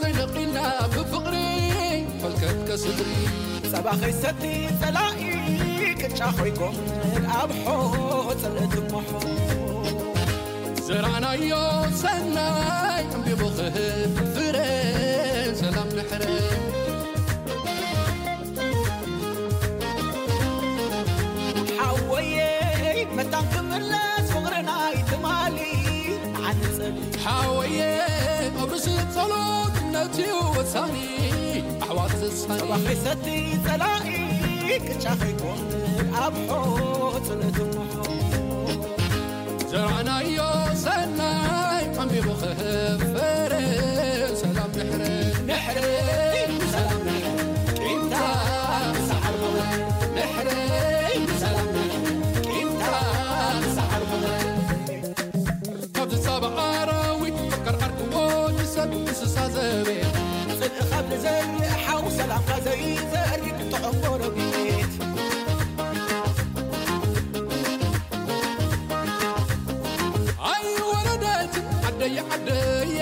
ዘይነቒልና ብፍቕሪ ፈልከት ከስድሪ። ጸባ ኸይሰቲ ጸላኢ ቅጫ ኸይኮን ኣብ ሖ ጸለትሞሖ። ዘራናዮ ሰናይ ዕምቢቡ ክህብ ፍረ ሰላም ንሕረ። ሓወየይ መታን ክምለስ ፍቕርና ይትማሊ። ዓንጽል ሓወየ ኣብ ርእሲ ጸሎት እምነት እዩ ወሳኒ። ኣሕዋት ዘሳኒ ጸባ ኸይሰቲ ጸላኢ ቅጫ ኸይኮን ኣብ ሖ ጸለትሞሖ። ዘራእናዮ ሰናይ ኣንቢቡ ክህብ ፍረ ሰላም ንሕረ። ንሕረ ሰላም ንሕረ። ቂምታ ምሳሕ ኣርኩመ። ንሕረ ሰላም ንሕረ። ቂምታ ምሳሕ ኣርኩመ። ካብ ዝሳብ ኣራዊት ፈከር ዓርክዎ ንሰብ እንስሳ ዘቤት። ጽድቂ ካብ ንዘርእ ሓው ሰላምካ ዘይዘርግ ጥዑም ጎረቤት። ኣይወለደትን ዓደየ ዓደየ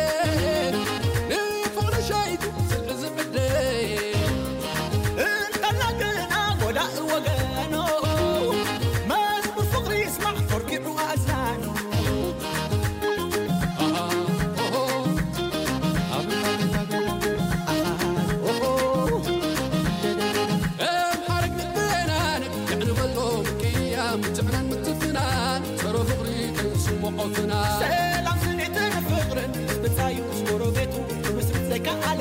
ንፍቕሪ ሸይቱ ስልቂ ዝዕደየ። እንተላ ግና ጎዳኢ ወገኖ መዝሙር ፍቕሪ ይስማዕ ኮርኪዑ ኣእዛኑ። ኣምሓረግ ንበናን የዕንበሎ ምቅያም ትዕናን ምትፍናን ጸሮ ፍቕሪ ከይስምዖ ፍናን። ሰላም ስኒትን ፍቕርን ምስ ብጻዩ ምስ ጎረቤቱ ክምስርት ዘይከኣለ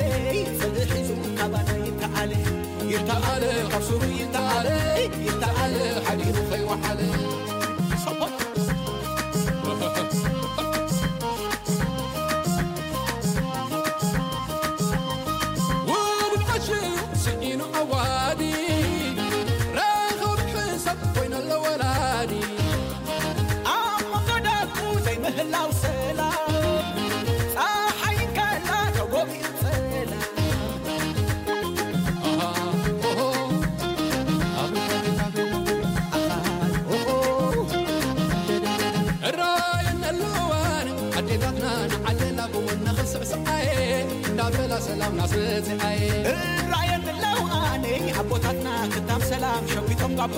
ጽልኢ ሒዙ ካባና ይተኣለ። ይተኣለ ካብ ሱሩ ይተኣለ። ይተኣለ ሓዲሩ ከይወዓለ። ውሉድ ዓሽዩ ስኢኑ ዓዋዲ ረኸብ ሕሳብ ኮይነሎ ወላዲ። ኣብ መንጎ ደቁ ዘይምህላው ሰላም ጸሓይ ከላ ተጎቢኡ ጸላም። እራየን ኣለዋን ኣዴታትና ንዓለላ ብወና ክስዕስዓየ እንዳበላ ሰላም ናስረፅዓየ። እራየን ኣለዋን ኣቦታትና ክታም ሰላም ሸዊቶም ጋቦ።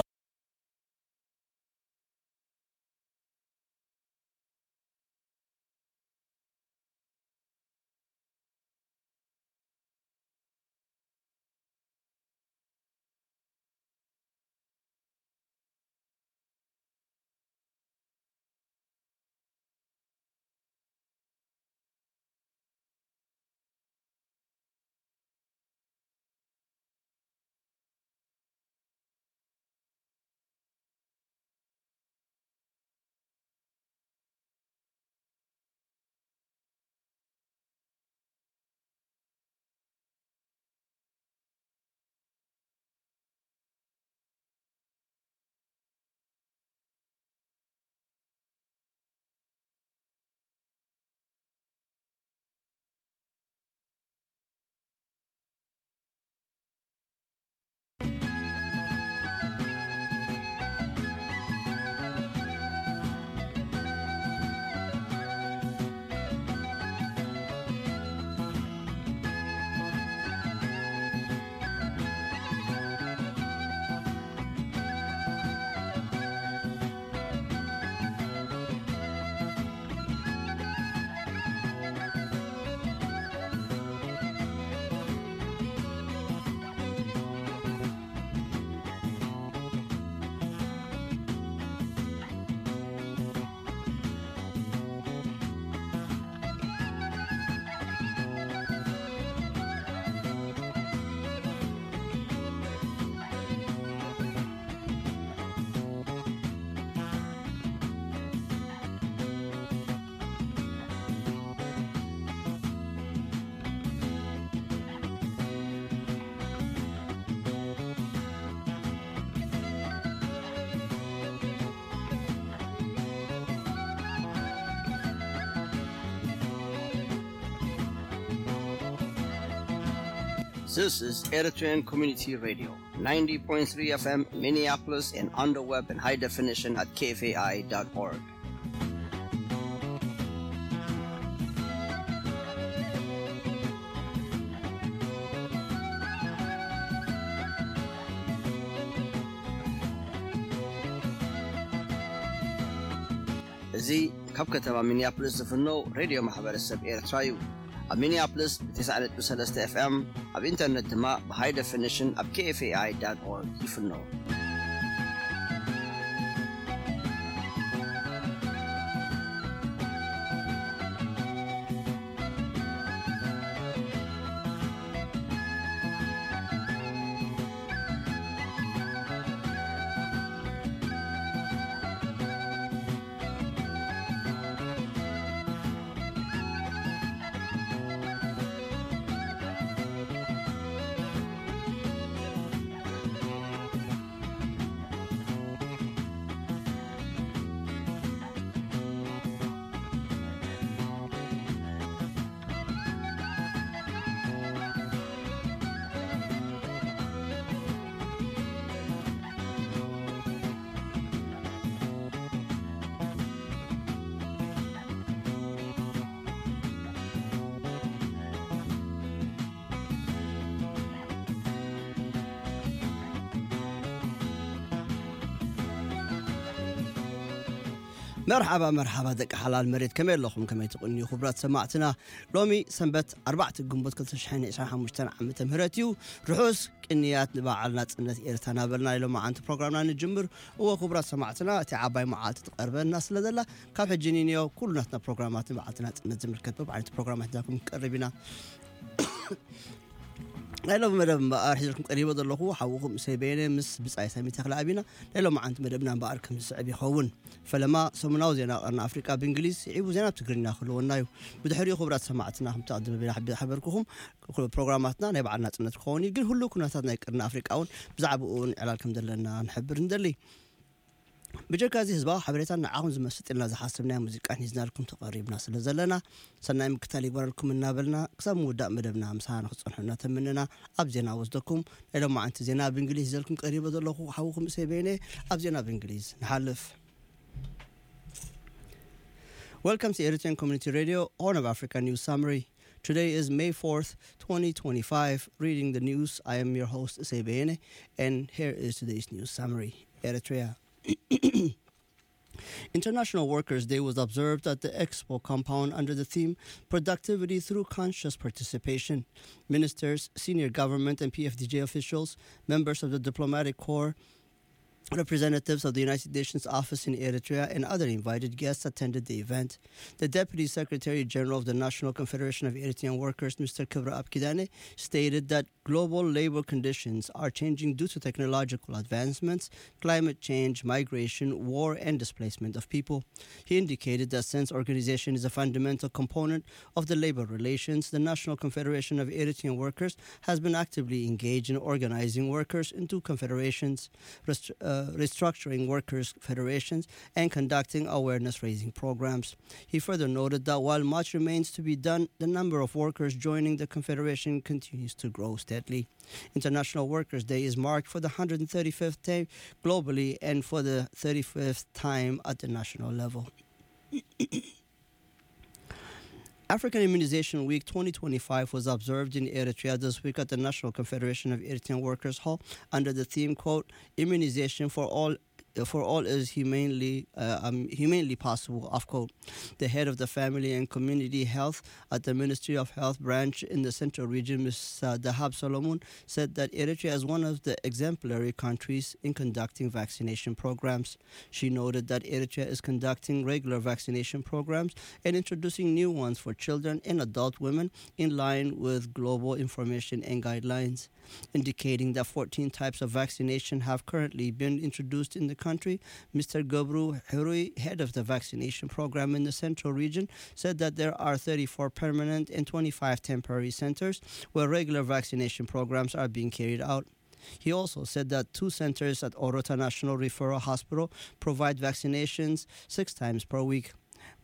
This is Eritrean Community Radio, ninety point three F M, Minneapolis, and on the web in high definition at K F A I dot org. እዚ ካብ ከተማ ሚኒያፖሊስ ዝፍነው ሬድዮ ማሕበረሰብ ኤርትራ እዩ። ኣብ ሚኒያፖሊስ ብ90.3 ኤፍኤም፣ ኣብ ኢንተርነት ድማ ብ high definition ኣብ kfai.org ይፍነው። መርሓባ መርሓባ ደቂ ሓላል መሬት፣ ከመይ ኣለኹም? ከመይ ትቕንዩ ክቡራት ሰማዕትና? ሎሚ ሰንበት ኣርባዕተ ግንቦት ክልተ ሽሕን ዕስራን ሓሙሽተን ዓመተ ምህረት እዩ። ርሑስ ቅንያት ንበዓል ናጽነት ኤርትራ እናበልና ናይ ሎማዓንቲ ፕሮግራምና ንጅምር። እወ ክቡራት ሰማዕትና፣ እቲ ዓባይ መዓልቲ ትቐርበና ስለ ዘላ፣ ካብ ሕጂ ንንዮ ኩሉ ናትና ፕሮግራማት ንበዓልቲ ናጽነት ዝምልከት በብዓይነቱ ፕሮግራማት ሒዝናልኩም ክንቀርብ ኢና። ናይ ሎሚ መደብ እምበኣር ሒዘልኩም ቀሪበ ዘለኹ ሓውኹም እሰይ በየነ ምስ ብጻይ ሳሚ ተኽለኣብ ኢና። ናይ ሎማዓንቲ መደብና እምበኣር ከም ዝስዕብ ይኸውን። ፈለማ ሰሙናዊ ዜና ቀርኒ ኣፍሪቃ ብእንግሊዝ፣ ስዒቡ ዜና ብትግርኛ ክህልወና እዩ። ብድሕሪኡ ክቡራት ሰማዕትና፣ ከምቲ ኣቐዲመ ሓቢረ ሓበርኩኹም፣ ኩሉ ፕሮግራማትና ናይ በዓል ናጽነት ክኸውን እዩ። ግን ህሉው ኩነታት ናይ ቀርኒ ኣፍሪቃ እውን ብዛዕባኡ እውን ዕላል ከም ዘለና ንሕብር ንደሊ። ብጀካ እዚ ህዝባዊ ሓበሬታን ንዓኹም ዝመስጥ ኢልና ዝሓሰብናዮ ሙዚቃን ሒዝናልኩም ተቐሪብና ስለ ዘለና፣ ሰናይ ምክታል ይግበረልኩም እናበልና፣ ክሳብ ምውዳእ መደብና ምሳና ንክትጸንሑ እናተመነና፣ ኣብ ዜና ወስደኩም። ናይ ሎማዓንቲ ዜና ብእንግሊዝ ሒዘልኩም ቀሪበ ዘለኹ ሓውኹም እሰይ በየነ። ኣብ ዜና ብእንግሊዝ ንሓልፍ። Welcome to Eritrean Community Radio, Horn of Africa News Summary. Today is May fourth, twenty twenty-five. Reading the news, I am your host, Isay Beyene, and here is today's news summary. Eritrea. International Workers' Day was observed at the Expo compound under the theme Productivity Through Conscious Participation. Ministers, senior government and P F D J officials, members of the diplomatic corps, representatives of the United Nations office in Eritrea, and other invited guests attended the event. The Deputy Secretary General of the National Confederation of Eritrean Workers, Mister Kibra Abkidane, stated that global labor conditions are changing due to technological advancements, climate change, migration, war, and displacement of people. He indicated that since organization is a fundamental component of the labor relations, the National Confederation of Eritrean Workers has been actively engaged in organizing workers into confederations, rest- uh, restructuring workers' federations, and conducting awareness raising programs. He further noted that while much remains to be done, the number of workers joining the Confederation continues to grow steadily. International Workers' Day is marked for the one hundred thirty-fifth time globally and for the thirty-fifth time at the national level. African Immunization Week twenty twenty-five was observed in Eritrea this week at the National Confederation of Eritrean Workers Hall under the theme, quote, "Immunization for all for all is humanely uh, um, humanely possible," of quote. The head of the family and community health at the Ministry of Health branch in the central region, Mister Dahab Solomon, said that Eritrea is one of the exemplary countries in conducting vaccination programs. She noted that Eritrea is conducting regular vaccination programs and introducing new ones for children and adult women in line with global information and guidelines, indicating that fourteen types of vaccination have currently been introduced in the country. Mister Gobru Hurui, head of the vaccination program in the central region, said that there are thirty-four permanent and twenty-five temporary centers where regular vaccination programs are being carried out. He also said that two centers at Orota National Referral Hospital provide vaccinations six times per week.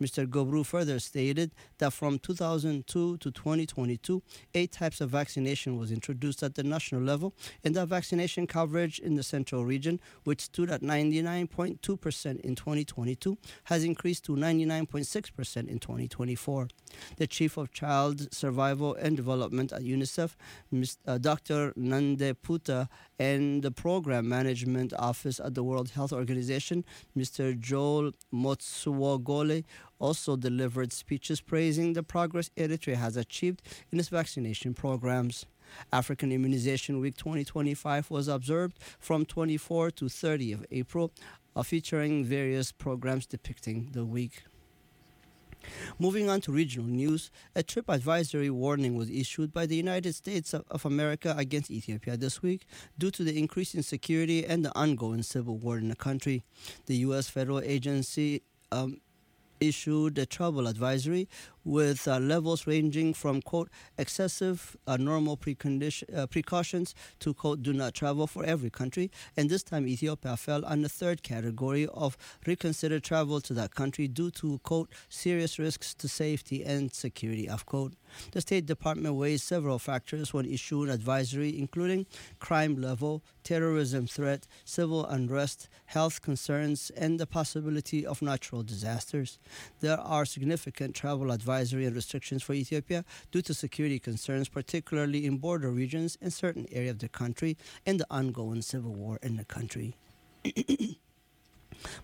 Mister Gobru further stated that from two thousand two to twenty twenty-two, eight types of vaccination was introduced at the national level, and that vaccination coverage in the central region, which stood at ninety-nine point two percent in twenty twenty-two, has increased to ninety-nine point six percent in twenty twenty-four. The chief of child survival and development at UNICEF, Mis- uh, Doctor Nande Puta, and the Program Management Office at the World Health Organization, Mister Joel Motsuogole, also delivered speeches praising the progress Eritrea has achieved in its vaccination programs. African Immunization Week twenty twenty-five was observed from twenty-four to thirty of April, uh, featuring various programs depicting the week. Moving on to regional news, a trip advisory warning was issued by the United States of, of America against Ethiopia this week due to the increase in security and the ongoing civil war in the country. The U S federal agency um, issued a travel advisory with uh, levels ranging from, quote, excessive uh, normal precondition, uh, precautions to, quote, do not travel for every country. And this time, Ethiopia fell on the third category of reconsider travel to that country due to, quote, serious risks to safety and security, of quote. The State Department weighs several factors when issuing advisory, including crime level, terrorism threat, civil unrest, health concerns, and the possibility of natural disasters. There are significant travel advisory and restrictions for Ethiopia due to security concerns, particularly in border regions in certain areas of the country and the ongoing civil war in the country.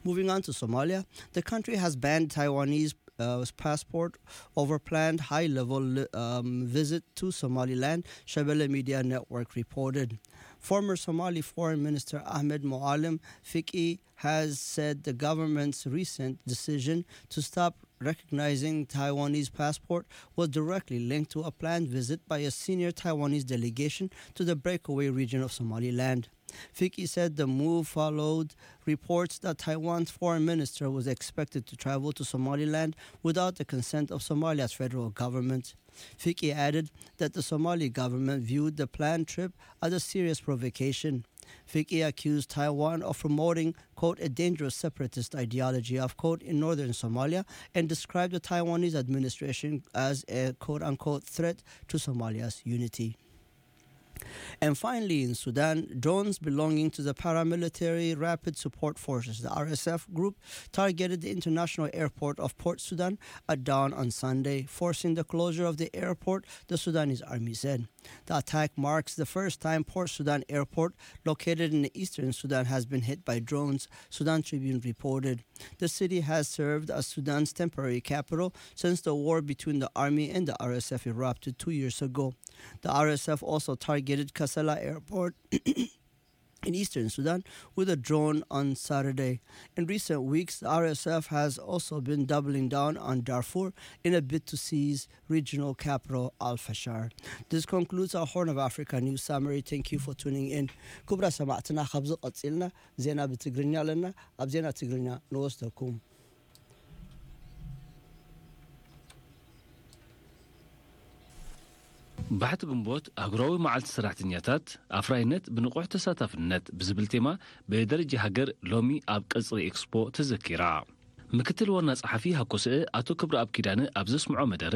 Moving on to Somalia, the country has banned Taiwanese uh, passport over planned high-level um, visit to Somaliland, Shabelle Media Network reported. Former Somali Foreign Minister Ahmed Moalem Fiki has said the government's recent decision to stop recognizing Taiwanese passport was directly linked to a planned visit by a senior Taiwanese delegation to the breakaway region of Somaliland. Fiki said the move followed reports that Taiwan's foreign minister was expected to travel to Somaliland without the consent of Somalia's federal government. Fiki added that the Somali government viewed the planned trip as a serious provocation. Fiki accused Taiwan of promoting, quote, a dangerous separatist ideology, of quote, in northern Somalia, and described the Taiwanese administration as a, quote unquote, threat to Somalia's unity. And finally, in Sudan, drones belonging to the paramilitary Rapid Support Forces, the R S F group, targeted the international airport of Port Sudan at dawn on Sunday, forcing the closure of the airport, the Sudanese army said. The attack marks the first time Port Sudan airport, located in eastern Sudan, has been hit by drones, Sudan Tribune reported. The city has served as Sudan's temporary capital since the war between the army and the R S F erupted two years ago. The R S F also targeted Kassala airport in eastern Sudan with a drone on Saturday. In recent weeks, the R S F has also been doubling down on Darfur in a bid to seize regional capital Al Fashar. This concludes our Horn of Africa news summary. Thank you for tuning in. ክቡራት ሰማዕትና፣ ካብዚ ቀጺልና ዜና ብትግርኛ ኣለና። ኣብ ዜና ትግርኛ ንወስደኩም። ባሕቲ ግንቦት፣ ኣህጉራዊ መዓልቲ ሰራሕተኛታት፣ ኣፍራይነት ብንቑሕ ተሳታፍነት ብዝብል ቴማ፣ ብደረጃ ሃገር ሎሚ ኣብ ቀጽሪ ኤክስፖ ተዘኪራ። ምክትል ዋና ጸሓፊ ሃኮስአ ኣቶ ክብረኣብ ኪዳነ ኣብ ዘስምዖ መደረ፣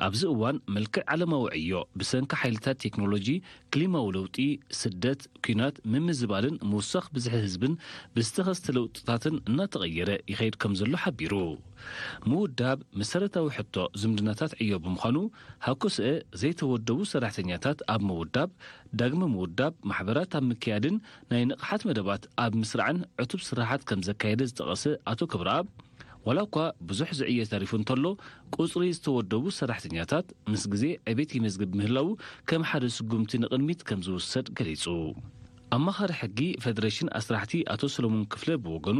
ኣብዚ እዋን መልክዕ ዓለማዊ ዕዮ ብሰንኪ ሓይልታት ቴክኖሎጂ፣ ክሊማዊ ለውጢ፣ ስደት፣ ኲናት፣ ምምዝባልን ምውሳኽ ብዝሒ ህዝብን ብዝተኸስተ ለውጥታትን እናተቐየረ ይኸይድ ከም ዘሎ ሓቢሩ። ምውዳብ መሰረታዊ ሕቶ ዝምድናታት ዕዮ ብምዃኑ፣ ሃኮስአ ዘይተወደቡ ሰራሕተኛታት ኣብ ምውዳብ፣ ዳግመ ምውዳብ ማሕበራት ኣብ ምክያድን ናይ ንቕሓት መደባት ኣብ ምስራዕን ዕቱብ ስራሓት ከም ዘካየደ ዝጠቐሰ ኣቶ ክብረኣብ፣ ዋላ እኳ ብዙሕ ዝዕየ ተሪፉ እንተሎ፣ ቁጽሪ ዝተወደቡ ሰራሕተኛታት ምስ ግዜ ዕቤት ይመዝግብ ምህላዉ ከም ሓደ ስጉምቲ ንቕድሚት ከም ዝውሰድ ገሊጹ። ኣማኻሪ ሕጊ ፌደሬሽን ኣስራሕቲ ኣቶ ሰሎሞን ክፍለ ብወገኑ፣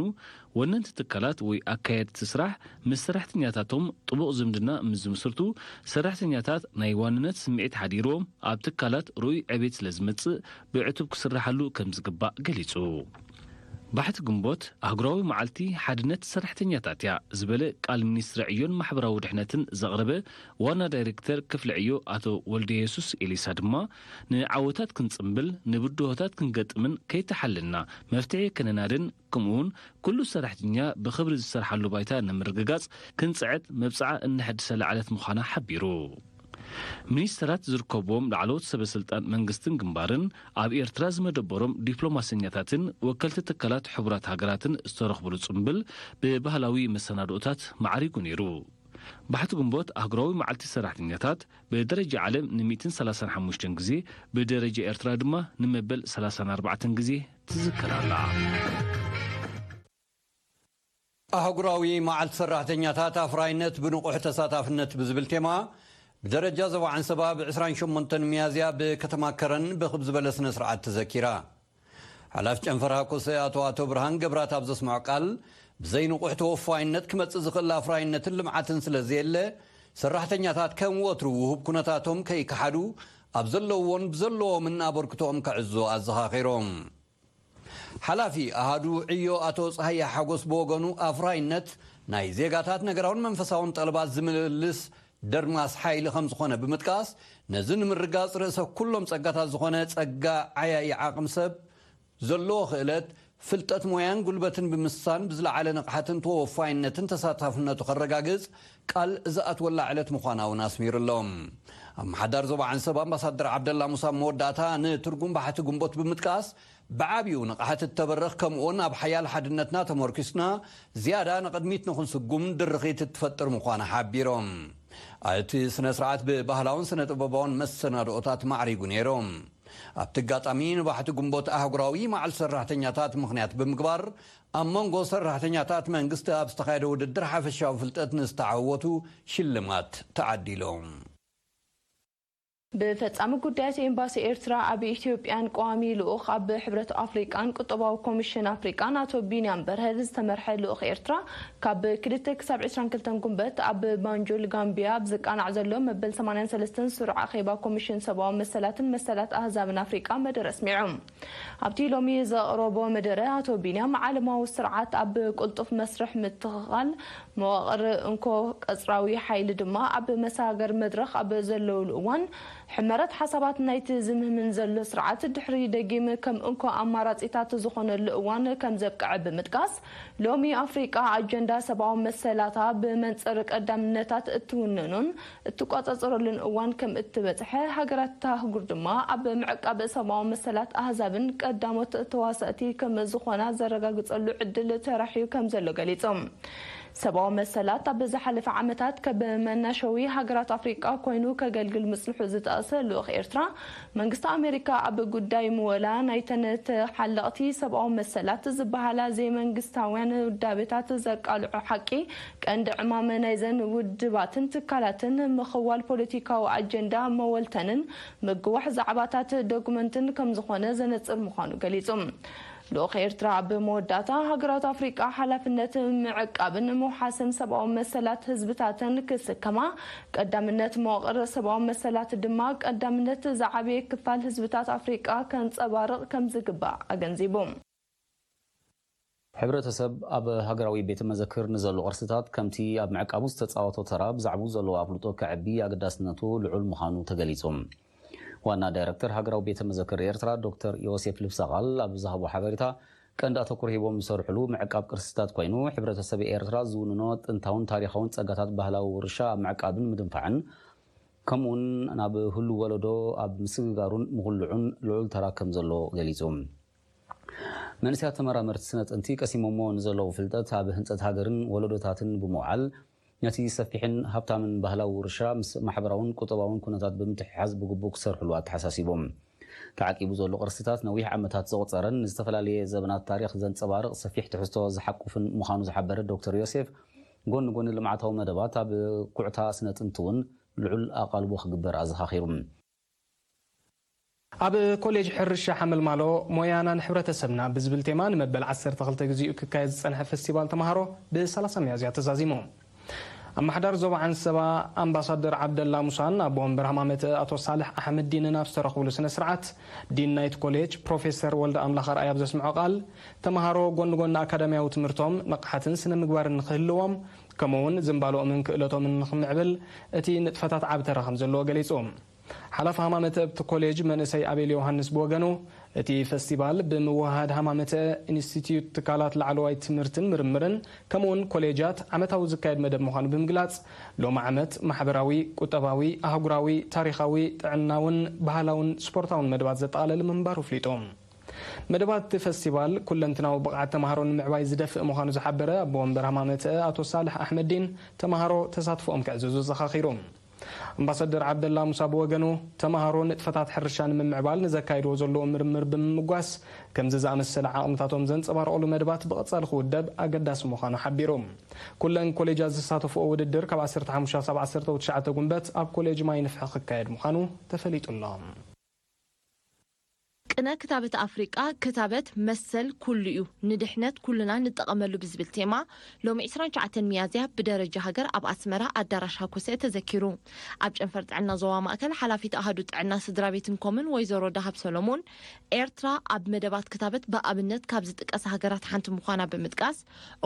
ወነንቲ ትካላት ወይ ኣካየድቲ ስራሕ ምስ ሰራሕተኛታቶም ጥቡቕ ዝምድና ምስ ዝምስርቱ፣ ሰራሕተኛታት ናይ ዋንነት ስምዒት ሓዲርዎም ኣብ ትካላት ርኡይ ዕቤት ስለ ዝመጽእ፣ ብዕቱብ ክስራሓሉ ከም ዝግባእ ገሊጹ። ባሕቲ ግንቦት ኣህጉራዊ መዓልቲ ሓድነት ሰራሕተኛታት እያ ዝበለ ቃል ሚኒስትሪ ዕዮን ማሕበራዊ ድሕነትን ዘቕረበ ዋና ዳይሬክተር ክፍሊ ዕዮ ኣቶ ወልደየሱስ ኤሊሳ ድማ፣ ንዓወታት ክንጽምብል፣ ንብድሆታት ክንገጥምን ከይተሓለልና መፍትሒ ከነናድን፣ ከምኡውን ኩሉ ሰራሕተኛ ብኽብሪ ዝሰርሓሉ ባይታ ንምርግጋጽ ክንጽዕት መብጽዓ እነሐድሰላ ዕለት ምዃና ሓቢሩ። ሚኒስተራት ዝርከብዎም ላዕለዎት ሰበ ስልጣን መንግስትን ግንባርን፣ ኣብ ኤርትራ ዝመደበሮም ዲፕሎማሰኛታትን ወከልቲ ትካላት ሕቡራት ሃገራትን ዝተረኽብሉ ጽምብል ብባህላዊ መሰናድኦታት ማዕሪጉ ነይሩ። ባሕቲ ግንቦት ኣህጉራዊ መዓልቲ ሰራሕተኛታት ብደረጃ ዓለም ን ሚእትን ሰላሳን ሓሙሽተን ግዜ፣ ብደረጃ ኤርትራ ድማ ንመበል ሰላሳን ኣርባዕተን ግዜ ትዝከር ኣላ። ኣህጉራዊ መዓልቲ ሰራሕተኛታት ኣፍራይነት ብንቑሕ ተሳታፍነት ብዝብል ቴማ ብደረጃ ዞባ ዓንሰባ ብ ዕስራን ሸሞንተን ሚያዝያ ብከተማ ከረን ብኽብ ዝበለ ስነ ስርዓት ተዘኪራ። ሓላፊ ጨንፈር ሃኮሰ ኣቶ ኣቶ ብርሃን ገብራት ኣብ ዘስምዖ ቃል፣ ብዘይ ንቑሕ ተወፋይነት ክመጽእ ዝኽእል ኣፍራይነትን ልምዓትን ስለ ዘየለ፣ ሰራሕተኛታት ከም ወትሩ ውሁብ ኩነታቶም ከይከሓዱ ኣብ ዘለውዎን ብዘለዎምን ኣበርክቶኦም ከዕዙ ኣዘኻኺሮም። ሓላፊ ኣሃዱ ዕዮ ኣቶ ጸሃየ ሓጎስ ብወገኑ፣ ኣፍራይነት ናይ ዜጋታት ነገራውን መንፈሳውን ጠለባት ዝምልልስ ደርማስ ሓይሊ ከም ዝኾነ ብምጥቃስ፣ ነዚ ንምርጋጽ ርእሰ ኩሎም ጸጋታት ዝኾነ ጸጋ ዓያዪ ዓቕሚ ሰብ፣ ዘለዎ ክእለት፣ ፍልጠት፣ ሞያን ጉልበትን ብምስሳን ብዝለዓለ ንቕሓትን ተወፋይነትን ተሳታፍነቱ ከረጋግጽ ቃል ዝኣትወላ ዕለት ምዃና እውን ኣስሚሩሎም። ኣመሓዳሪ ዞባ ዓንሰብ ኣምባሳደር ዓብደላ ሙሳ መወዳእታ ንትርጉም ባሕቲ ግንቦት ብምጥቃስ፣ ብዓብዩ ንቕሓት እተበርኽ ከምኡውን ኣብ ሓያል ሓድነትና ተመርኪስና ዝያዳ ንቕድሚት ንኽንስጉም ድርኺት እትፈጥር ምዃና ሓቢሮም። እቲ ስነ ስርዓት ብባህላውን ስነ ጥበባውን መሰናድኦታት ማዕሪጉ ነይሮም። ኣብቲ ኣጋጣሚ ንባሕቲ ግንቦት ኣህጉራዊ መዓልቲ ሰራሕተኛታት ምኽንያት ብምግባር፣ ኣብ መንጎ ሰራሕተኛታት መንግስቲ ኣብ ዝተኻየደ ውድድር ሓፈሻዊ ፍልጠት ንዝተዓወቱ ሽልማት ተዓዲሎም። ብፈጻሚ ጉዳያት ኤምባሲ ኤርትራ ኣብ ኢትዮጵያን ቀዋሚ ልኡኽ ኣብ ሕብረት ኣፍሪቃን ቁጠባዊ ኮሚሽን ኣፍሪቃን ኣቶ ቢንያም በርሀ ዝተመርሐ ልኡኽ ኤርትራ ካብ ክልተ ክሳብ ዕስራን ክልተን ጉንበት ኣብ ባንጁል ጋምቢያ ኣብ ዝቃናዕ ዘሎ መበል ሰማንያን ሰለስተን ስሩዕ ኣኼባ ኮሚሽን ሰብኣዊ መሰላትን መሰላት ኣህዛብን ኣፍሪቃ መደረ ኣስሚዑ። ኣብቲ ሎሚ ዘቕረቦ መደረ ኣቶ ቢንያም ዓለማዊ ስርዓት ኣብ ቅልጡፍ መስርሕ ምትኽኻል መዋቕር እንኮ ቀጽራዊ ሓይሊ ድማ ኣብ መሰጋገሪ መድረኽ ኣብ ዘለውሉ እዋን፣ ሕመረት ሓሳባት ናይቲ ዝምህምን ዘሎ ስርዓት ድሕሪ ደጊም ከም እንኮ ኣማራጺታት ዝኾነሉ እዋን ከም ዘብቅዐ ብምጥቃስ፣ ሎሚ ኣፍሪቃ ኣጀንዳ ሰብኣዊ መሰላታ ብመንጽር ቀዳምነታት እትውንኖን እትቋጻጸረሉን እዋን ከም እትበጽሐ፣ ሃገራት እታ ኣህጉር ድማ ኣብ ምዕቃብ ሰብኣዊ መሰላት ኣህዛብን ቀዳሞት ተዋሳእቲ ከም ዝኾና ዘረጋግጸሉ ዕድል ተራሕዩ ከም ዘሎ ገሊጹ። ሰብኣዊ መሰላት ኣብ ዝሓለፈ ዓመታት ከም መናሸዊ ሃገራት ኣፍሪቃ ኮይኑ ከገልግል ምጽንሑ ዝጠቕሰ ልኡኽ ኤርትራ፣ መንግስቲ ኣሜሪካ ኣብ ጉዳይ ምወላ ናይተን ተሓለቕቲ ሰብኣዊ መሰላት ዝበሃላ ዘይመንግስታውያን ውዳቤታት ዘቃልዖ ሓቂ፣ ቀንዲ ዕማመ ናይዘን ውድባትን ትካላትን ምኽዋል ፖለቲካዊ ኣጀንዳ መወልተንን ምግዋሕ ዛዕባታት ዶክመንትን ከም ዝኾነ ዘነጽር ምዃኑ ገሊጹ። ልኡኽ ኤርትራ ኣብ መወዳእታ፣ ሃገራት ኣፍሪቃ ሓላፍነት ምዕቃብን ምውሓስን ሰብኣዊ መሰላት ህዝብታተን ክስከማ፣ ቀዳምነት መዋቕር ሰብኣዊ መሰላት ድማ ቀዳምነት ዝዓበየ ክፋል ህዝብታት ኣፍሪቃ ከንጸባርቕ ከም ዝግባእ ኣገንዚቡ። ሕብረተሰብ ኣብ ሃገራዊ ቤተ መዘክር ንዘሎ ቅርስታት ከምቲ ኣብ ምዕቃቡ ዝተጻወቶ ተራ ብዛዕባኡ ዘለዎ ኣፍልጦ ከዕቢ ኣገዳስነቱ ልዑል ምዃኑ ተገሊጹ። ዋና ዳይረክተር ሃገራዊ ቤተ መዘክር ኤርትራ ዶክተር ዮሴፍ ልብሰቓል ኣብ ዝሃቦ ሓበሬታ፣ ቀንዲ ኣተኩሮ ሂቦም ዝሰርሕሉ ምዕቃብ ቅርስታት ኮይኑ፣ ሕብረተሰብ ኤርትራ ዝውንኖ ጥንታውን ታሪኻውን ጸጋታት ባህላዊ ውርሻ ኣብ ምዕቃብን ምድንፋዕን፣ ከምኡውን ናብ ህሉው ወለዶ ኣብ ምስግጋሩን ምኹልዑን ልዑል ተራ ከም ዘሎ ገሊጹ። መንእሰያት ተመራመርቲ ስነ ጥንቲ ቀሲሞሞ ንዘለዉ ፍልጠት ኣብ ህንጸት ሃገርን ወለዶታትን ብምውዓል፣ ነቲ ሰፊሕን ሃብታምን ባህላዊ ውርሻ ምስ ማሕበራውን ቁጠባውን ኩነታት ብምትሕሓዝ ብግቡእ ክሰርሕሉ ኣተሓሳሲቦም። ተዓቂቡ ዘሎ ቅርስታት ነዊሕ ዓመታት ዘቑጸረን ንዝተፈላለየ ዘበናት ታሪኽ ዘንጸባርቕ ሰፊሕ ትሕዝቶ ዝሓቁፍን ምዃኑ ዝሓበረ ዶክተር ዮሴፍ፣ ጎኒ ጎኒ ልምዓታዊ መደባት ኣብ ኩዕታ ስነ ጥንቲ እውን ልዑል ኣቓልቦ ክግበር ኣዘኻኺሩ። ኣብ ኮሌጅ ሕርሻ ሓመልማሎ ሞያና ንሕብረተሰብና ብዝብል ቴማ ንመበል ዓሰርተ ክልተ ግዚኡ ክካየድ ዝጸንሐ ፈስቲቫል ተምሃሮ ብ ሰላሳ ሚያዝያ ተዛዚሙ። ኣመሓዳሪ ዞባ ዓንሰባ ኣምባሳደር ዓብደላ ሙሳን ኣቦ ወንበር ሃማመተ ኣቶ ሳልሕ ኣሕመዲንን ኣብ ዝተረኽብሉ ስነ ስርዓት፣ ዲን ናይቲ ኮሌጅ ፕሮፌሰር ወልደ ኣምላኽ ኣርኣያ ኣብ ዘስምዖ ቃል፣ ተምሃሮ ጎኒ ጎኒ ኣካዳሚያዊ ትምህርቶም ንቕሓትን ስነ ምግባርን ንኽህልዎም፣ ከምኡውን ዝንባልኦምን ክእለቶምን ንኽምዕብል እቲ ንጥፈታት ዓቢ ተራ ከም ዘለዎ ገሊጹ። ሓላፊ ሃማመተ ኣብቲ ኮሌጅ መንእሰይ ኣቤል ዮሃንስ ብወገኑ፣ እቲ ፈስቲቫል ብምውህሃድ ሃማመተ ኢንስቲትዩት ትካላት ላዕለዋይ ትምህርትን ምርምርን ከምኡውን ኮሌጃት ዓመታዊ ዝካየድ መደብ ምዃኑ ብምግላጽ፣ ሎሚ ዓመት ማሕበራዊ፣ ቁጠባዊ፣ ኣህጉራዊ፣ ታሪኻዊ፣ ጥዕናውን ባህላውን ስፖርታውን መደባት ዘጠቓለለ ምንባሩ ኣፍሊጡ። መደባት እቲ ፈስቲቫል ኩለንትናዊ ብቕዓት ተምሃሮ ንምዕባይ ዝደፍእ ምዃኑ ዝሓበረ ኣቦ ወንበር ሃማመተ ኣቶ ሳልሕ ኣሕመዲን፣ ተምሃሮ ተሳትፎኦም ከዕዝዙ ዘኻኺሩ። ኣምባሳደር ዓብደላ ሙሳ ብወገኑ፣ ተምሃሮ ንጥፈታት ሕርሻ ንምምዕባል ንዘካይድዎ ዘለዉ ምርምር ብምምጓስ፣ ከምዚ ዝኣመሰለ ዓቕምታቶም ዘንጸባርቑሉ መደባት ብቐጻሊ ክውደብ ኣገዳሲ ምዃኑ ሓቢሩ። ኩለን ኮሌጃት ዝሳተፍኦ ውድድር ካብ ዓሰርተ ሓሙሽተ ክሳብ ዓሰርተ ትሽዓተ ጉንበት ኣብ ኮሌጅ ማይ ንፍሒ ክካየድ ምዃኑ ተፈሊጡ ኣሎ። ቅነ ክታበት ኣፍሪቃ፣ ክታበት መሰል ኩሉ እዩ፣ ንድሕነት ኩልና ንጠቐመሉ ብዝብል ቴማ፣ ሎሚ ዕስራን ትሽዓተን ሚያዝያ ብደረጃ ሃገር ኣብ ኣስመራ ኣዳራሽ ሃኮሰ ተዘኪሩ። ኣብ ጨንፈር ጥዕና ዞባ ማእከል ሓላፊት ኣሃዱ ጥዕና ስድራ ቤትን ኮምን ወይዘሮ ዳሃብ ሰሎሞን፣ ኤርትራ ኣብ መደባት ክታበት ብኣብነት ካብ ዝጥቀሳ ሃገራት ሓንቲ ምዃና ብምጥቃስ፣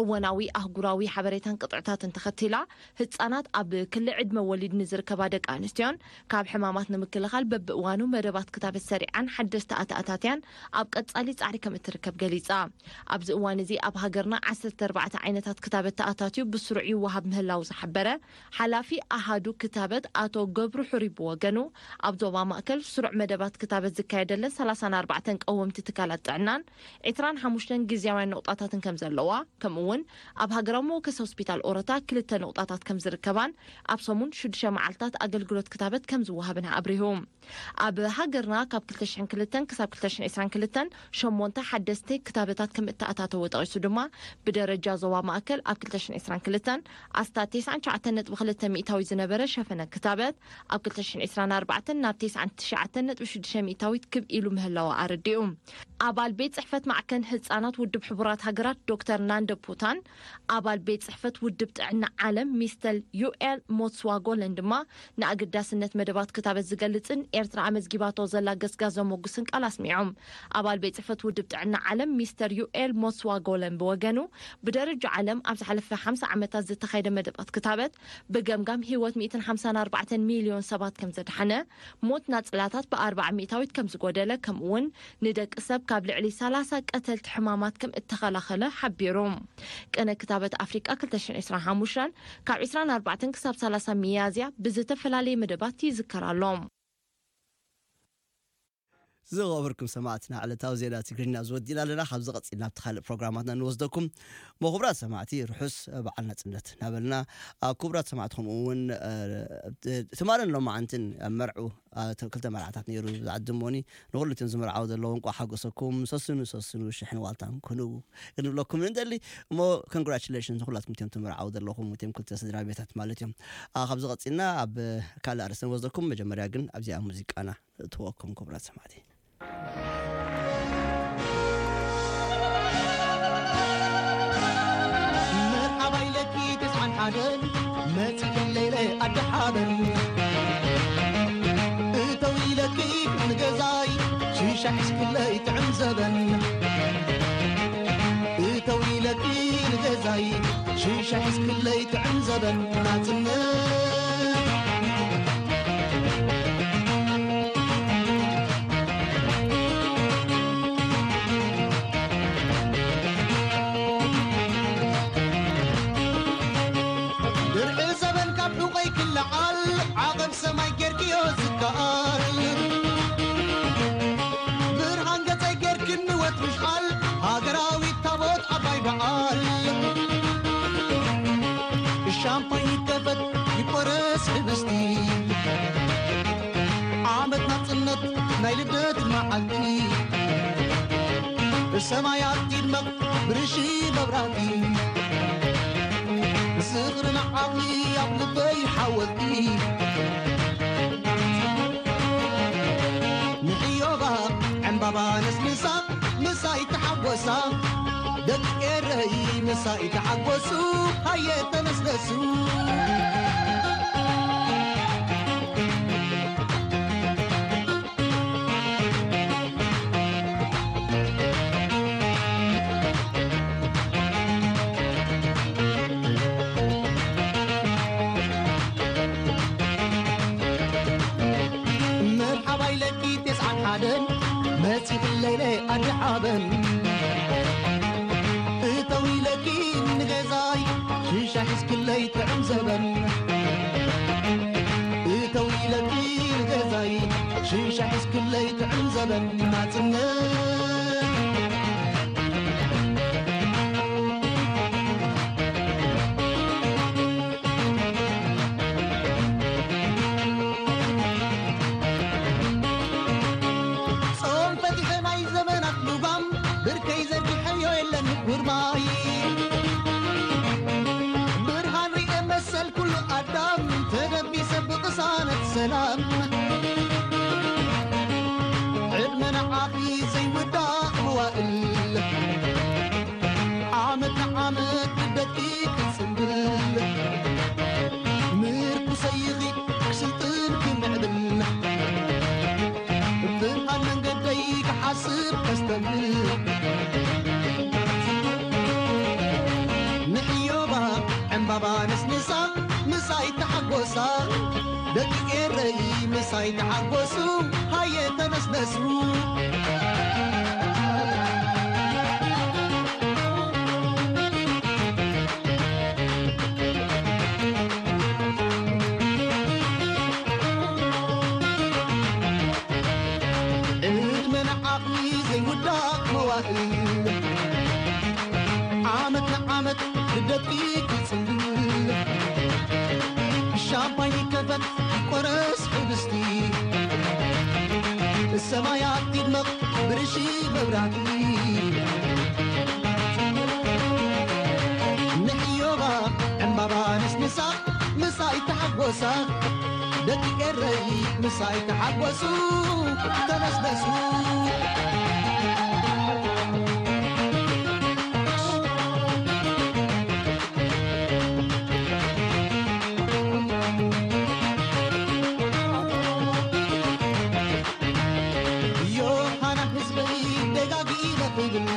እወናዊ ኣህጉራዊ ሓበሬታን ቅጥዕታትን ተኸቲላ፣ ህጻናት ኣብ ክሊ ዕድመ ወሊድ ንዝርከባ ደቂ ኣንስትዮን ካብ ሕማማት ንምክልኻል በብእዋኑ መደባት ክታበት ሰሪዓን ሓደስቲ ኣተኣታትያን ኣብ ቀጻሊ ጻዕሪ ከም እትርከብ ገሊጻ። ኣብዚ እዋን እዚ ኣብ ሃገርና ዓሰርተ ኣርባዕተ ዓይነታት ክታበት ተኣታትዩ ብስሩዕ ይወሃብ ምህላው ዝሓበረ ሓላፊ ኣሃዱ ክታበት ኣቶ ገብሩ ሕሩይ ብወገኑ፣ ኣብ ዞባ ማእከል ስሩዕ መደባት ክታበት ዝካየደለን ሰላሳን ኣርባዕተን ቀወምቲ ትካላት ጥዕናን ዕስራን ሓሙሽተን ግዝያውያን ነቑጣታትን ከም ዘለዋ፣ ከምኡ እውን ኣብ ሃገራዊ መወከሲ ሆስፒታል ኦሮታ ክልተ ነቑጣታት ከም ዝርከባን ኣብ ሰሙን ሽዱሽተ መዓልታት ኣገልግሎት ክታበት ከም ዝወሃብን ኣብሪሁ። ኣብ ሃገርና ካብ ክልተ ሽሕን ክልተን ክሳብ ክልተ ሽሕን ዕስራን ክልተን ሸሞንተ ሓደስቲ ክታበታት ከም እተኣታተወ ጠቒሱ ድማ፣ ብደረጃ ዞባ ማእከል ኣብ ክልተ ሽሕን ዕስራን ክልተን ኣስታት ተስዓን ትሽዓተን ነጥቢ ክልተ ሚእታዊት ዝነበረ ሸፈነ ክታበት፣ ኣብ ክልተ ሽሕን ዕስራን ኣርባዕተን ናብ ተስዓን ትሽዓተን ነጥቢ ሽዱሽተ ሚእታዊት ክብ ኢሉ ምህላው ኣረዲኡ። ኣባል ቤት ጽሕፈት ማዕከን ህጻናት ውድብ ሕቡራት ሃገራት ዶክተር ናንደ ፑታን፣ ኣባል ቤት ጽሕፈት ውድብ ጥዕና ዓለም ሚስተር ዩኤል ሞትስዋጎለን ድማ ንኣገዳስነት መደባት ክታበት ዝገልጽን ኤርትራ ኣመዝጊባቶ ዘላ ገስጋስ ዘሞጉስን ቃል ኣስሚዖም። ኣባል ቤት ጽሕፈት ውድብ ጥዕና ዓለም ሚስተር ዩኤል ሞትስዋጎለን ብወገኑ፣ ብደረጃ ዓለም ኣብ ዝሓለፈ ሓምሳ ዓመታት ዝተኻየደ መደባት ክታበት ብገምጋም ህይወት ሚእትን ሓምሳን ኣርባዕተን ሚልዮን ሰባት ከም ዘድሓነ፣ ሞት ናጽላታት ብኣርባዓ ሚእታዊት ከም ዝጎደለ፣ ከምኡውን ንደቂ ሰብ ካብ ልዕሊ ሰላሳ ቀተልቲ ሕማማት ከም እተኸላኸለ ሓቢሩ። ቅነ ክታበት ኣፍሪቃ ክልተ ሽሕን ዕስራን ሓሙሽተን ካብ ዕስራን ኣርባዕተን ክሳብ ሰላሳ ሚያዝያ ብዝተፈላለየ መደባት ይዝከር ኣሎ። ዝኸበርኩም ሰማዕትና፣ ዕለታዊ ዜና ትግርኛ ዝወዲና ኣለና። ካብዚ ቀፂልና ኣብቲ ካልእ ፕሮግራማትና ንወስደኩም። ሞ ክቡራት ሰማዕቲ፣ ርሑስ በዓል ናፅነት እናበልና፣ ኣብ ክቡራት ሰማዕቲ ከምኡ እውን፣ እ፣ ትማልን ሎማዓንትን ኣብ መርዑ፣ እ፣ ክልተ መርዓታት ነይሩ ዝዓድሞኒ። ንኹሉ እቶም ዝምርዓው ዘለዉ እንቋዕ ሓጎሰኩም፣ ሰስኑ፣ ሰስኑ፣ ሽሕን ዋልታን ኩኑ ክንብለኩም ንደሊ። እሞ ኮንግራቹሌሽን ንኹላትኩም እቶም ትምርዓው ዘለኹም፣ እቶም ክልተ ስድራ ቤታት ማለት እዮም። እ፣ ካብዚ ቀፂልና ኣብ ካልእ ኣርእስቲ ንወስደኩም። መጀመርያ ግን ኣብዚኣ ሙዚቃና እትወኩም ክቡራት ሰማዕቲ። መርሓባ ኢለኪ ተስዓን ሓደን መጺ ክለይለ ኣዲ ሓበን እተው ኢለኪ ንገዛይ ሽሻ ሒዝክለይ ጥዕም ዘበን እተው ኢለኪ ንገዛይ ሽሻ ሒዝክለይ ጥዕም ዘበን ናጽነት ድርዒ ዘበን ካብ ሑቐይ ክለዓል ዓቐብ ሰማይ ጌርክዮ ዝከኣል ብርሃን ገጸይ ጌርክኒ ወትሩ ሽዓል ሃገራዊት ታቦት ዓባይ በዓል ሻምፓኝ ይከፈት ይቆረስ ህብስቲ ዓመት ናጽነት ናይ ልደት መዓልቲ ብሰማያት ይድመቕ ብርሺ መብራህቲ ዝኽሪ ንዓኺ ኣብ ልበይ ሓወልቲ ንዕዮባ ዕምባባ ነስንሳ ምሳይ ተሓጎሳ ደቂ ኤረይ ምሳይ ተሓጎሱ ሃየ ተነስነሱ መርሓባ ኢለኪ ቴስዓን ሓደን መጺኽለይለ ኣዲ ዓበን እተው ኢለኪ ንገዛይ ሽሻ ሒዝክለይ ጥዕም ዘበን ግርማይ ብርሃን ርኤ መሰል ኩሉ ኣዳም ተደቢሰ ብቅሳነት ሰላም ዕድመ ንዓኺ ዘይውዳእ መዋእል ዓመት ንዓመት ልደትኪ ክጽንብል ምርኩሰይኺ ክስልጥን ክምዕብል ብርሃን መንገደይ ክሓስብ ከስተብል ንሕዮባ ዕምባባ ነስንሳ ምሳይ ተሓጎሳ ደቂ ኤረይ ምሳይ ተሓጎሱ ሃየ ተነስነሱ ዕድመ ንዓኺ ዘይውዳእ መዋእል ዓመት ንዓመት ልደትኪ ክጽንብል ሻምፓኝ ይከፈት ይቆረስ ሕብስቲ ሰማያት ይድመቕ ብርሺ መብራህቲ ንሕዮባ ዕምባባ ነስንሳ ምሳይ ተሓጎሳ ደቂ ኤረይ ምሳይ ተሓጎሱ ተነስነሱ ዮሃና ህዝበይ ደጋጊመ ክብል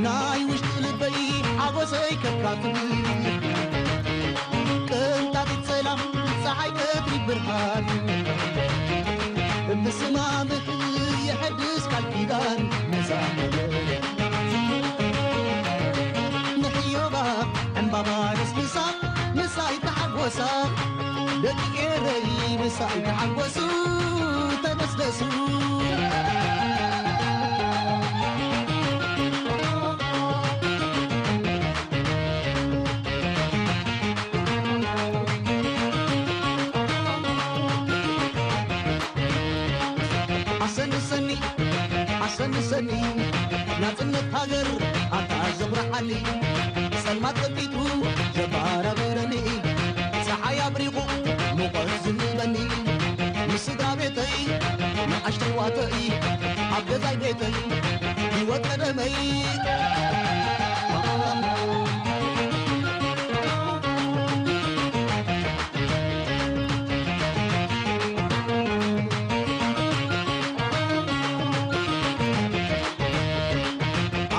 ናይ ውሽጢ ልበይ ሓጎሰይ ከካፍል ቅንጣጢት ሰላም ፀሓይ ቀትሪ ብርሃን ብስማምህ የሐድስ ቃል ኪዳን ነዛ ንሕዮባ ዕምባባ ነስንሳ ምሳይ ተሓጎሳ ደቂ ኤረይ ምሳይ ተሓጎሱ ተነስነሱ ኣሰንሰኒ ኣሰንሰኒ ናጽነት ሃገር ኣታ ዘብርሓኒ ጸልማት ቀቢቱ ዘባራብረኒ ጸሓይ ኣብሪቑ ሙቐት ዝህበኒ ምስ ስድራ ቤተይ ንኣሽተይ ዋተይ ኣብ ገዛይ ቤተይ ህይወት ቀደመይ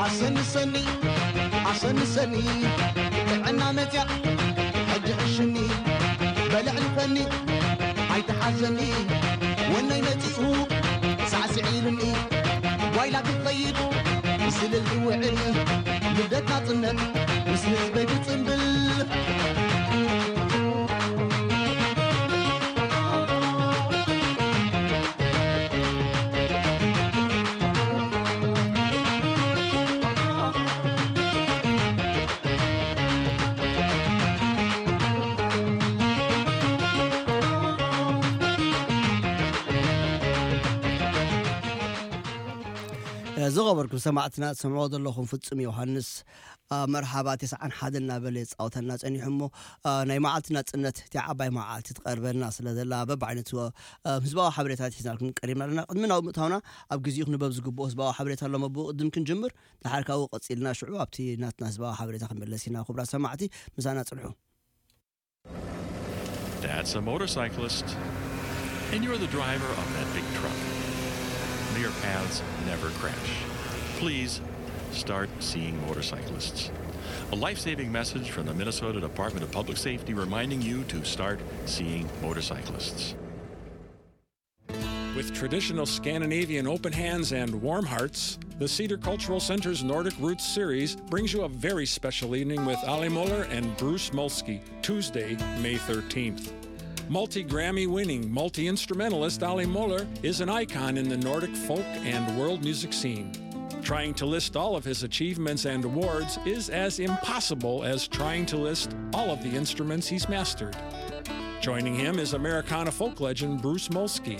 ኣሰንሰኒ ኣሰንሰኒ ጥዕና መፅያ ሕጂ ዕሽኒ በልዕልፈኒ ኣይተሓዘኒ ወነይ መፂኡ ሳዕስዒ ኢሉኒ ጓይላ ክትኸይድ ስልል ትውዕል ልደት ናፅነት ምስ ህዝበይ ብፅምብል ዝኸበርኩም ሰማዕትና ትሰምዕዎ ዘለኹም ፍጹም ዮሃንስ መርሓባ ተስዓን ሓደን እናበለ የፃወተና ፀኒሑ እሞ ናይ መዓልቲ ናፅነት እቲ ዓባይ መዓልቲ ትቐርበልና ስለ ዘላ በብዓይነቱ ህዝባዊ ሓበሬታት ሒዝናልኩም ቀሪብና ኣለና ቅድሚ ናብ ምእታውና ኣብ ግዜኡ ክንበብ ዝግብኦ ህዝባዊ ሓበሬታ ኣሎ መብኡ ቅድም ክንጅምር ድሓር ካብኡ ቀፂልና ሽዑ ኣብቲ ናትና ህዝባዊ ሓበሬታ ክንመለስ ኢና ክቡራት ሰማዕቲ ምሳና ፅንሑ That's a motorcyclist. And you're the driver of that big truck. Mere paths never crash. Please start seeing motorcyclists. A life saving message from the Minnesota Department of Public Safety reminding you to start seeing motorcyclists. With traditional Scandinavian open hands and warm hearts, the Cedar Cultural Center's Nordic Roots series brings you a very special evening with Ali Muller and Bruce Molsky, Tuesday, May thirteenth. Multi Grammy winning multi instrumentalist Ali Muller is an icon in the Nordic folk and world music scene. Trying to list all of his achievements and awards is as impossible as trying to list all of the instruments he's mastered. Joining him is Americana folk legend Bruce Molsky.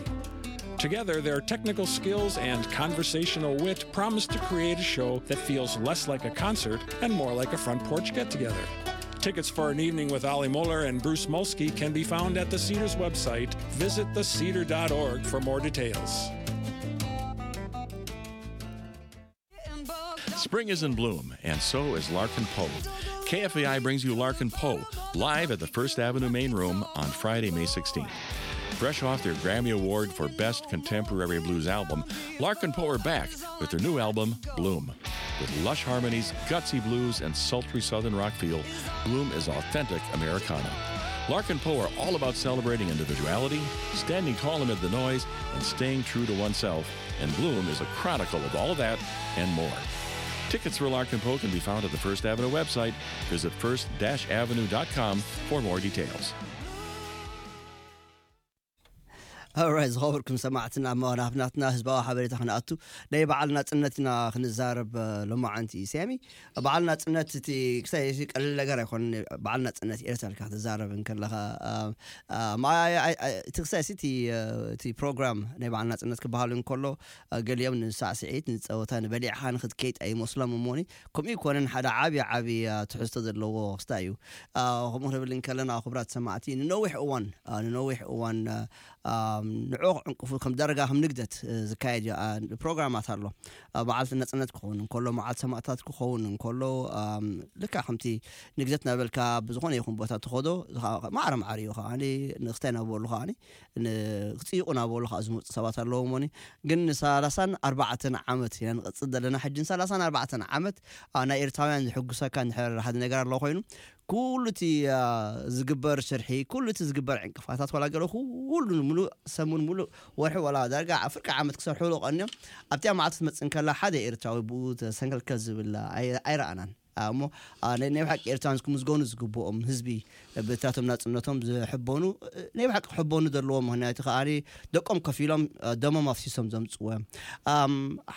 Together, their technical skills and conversational wit promise to create a show that feels less like a concert and more like a front porch get together. Tickets for an evening with Ollie Muller and Bruce Molsky can be found at the Cedars website. Visit the cedar dot org for more details. Spring is in bloom, and so is Larkin Poe. K F A I brings you Larkin Poe live at the First Avenue Main Room on Friday, May sixteenth. Fresh off their Grammy Award for Best Contemporary Blues Album, Larkin Poe are back with their new album, Bloom. With lush harmonies, gutsy blues, and sultry southern rock feel, Bloom is authentic Americana. Larkin Poe are all about celebrating individuality, standing tall amid the noise, and staying true to oneself, and Bloom is a chronicle of all of that and more. Tickets for Larkin Poe can be found at the First Avenue website. Visit first dash avenue dot com for more details. Alright, ዝኸበርኩም ሰማዕትና፣ ኣብ መዋናፍናትና ህዝባዊ ሓበሬታ ክንኣቱ ናይ በዓል ናጽነት ኢና ክንዛረብ። ሎማዓንቲ ሰሚ በዓል ናጽነት እቲ ክሳይ ቀልል ነገር ኣይኮነ። በዓል ናጽነት ኤርትራ ኢልካ ክትዛረብ እንከለኻ እቲ ክሳይ እቲ ፕሮግራም ናይ በዓል ናጽነት ክበሃል እንከሎ፣ ገሊኦም ንሳዕስዒት፣ ንጸወታ፣ ንበሊዕኻ ንክትከይድ ኣይመስሎም እሞኒ። ከምኡ ይኮነን፣ ሓደ ዓቢ ዓቢ ትሕዝቶ ዘለዎ ክስታ እዩ። ከምኡ ክንብል እንከለና ክቡራት ሰማዕቲ፣ ንነዊሕ እዋን ንነዊሕ እዋን ንዕኡ ክዕንቅፉ ከም ዳርጋ ከም ንግደት ዝካየድ ፕሮግራማት ኣሎ። በዓልቲ ነጽነት ክኸውን እንከሎ፣ መዓልቲ ሰማእታት ክኸውን እንከሎ፣ ልካ ከምቲ ንግደት ናበልካ ብዝኾነ ይኹን ቦታ ትኸዶ፣ ማዕረ ማዕረ እዩ። ከዓኒ ንክስታይ ናበሉ ከዓኒ ክፅይቑ ናበሉ ከዓ ዝመፁ ሰባት ኣለዎ። ሞኒ ግን ንሰላሳን ኣርባዕተን ዓመት ኢና ንቐፅል ዘለና። ሕጂ ንሰላሳን ኣርባዕተን ዓመት ናይ ኤርትራውያን ዝሕጉሰካ እንድሕር ሓደ ነገር ኣሎ ኮይኑ፣ ኩሉ እቲ ዝግበር ሽርሒ፣ ኩሉ እቲ ዝግበር ዕንቅፋታት፣ ዋላ ገለ ኩሉ ሙሉእ ሰሙን፣ ሙሉእ ወርሒ፣ ዋላ ዳርጋ ፍርቂ ዓመት ክሰርሕሉ ቀንዮም። ኣብቲኣ መዓልቲ ትመፅእ እንከላ ሓደ ኤርትራዊ ብኡ ተሰንከልከል ዝብል ኣይረኣናን። እሞ ናይ ብሓቂ ኤርትራውያን ክምዝገኑ ዝግብኦም ህዝቢ፣ ብታቶም ናጽነቶም ዝሕበኑ፣ ናይ ብሓቂ ክሕበኑ ዘለዎም። ምክንያቱ ከኣ ደቆም ከፊሎም፣ ደሞም ኣፍሲሶም ዘምጽዎ እዮም።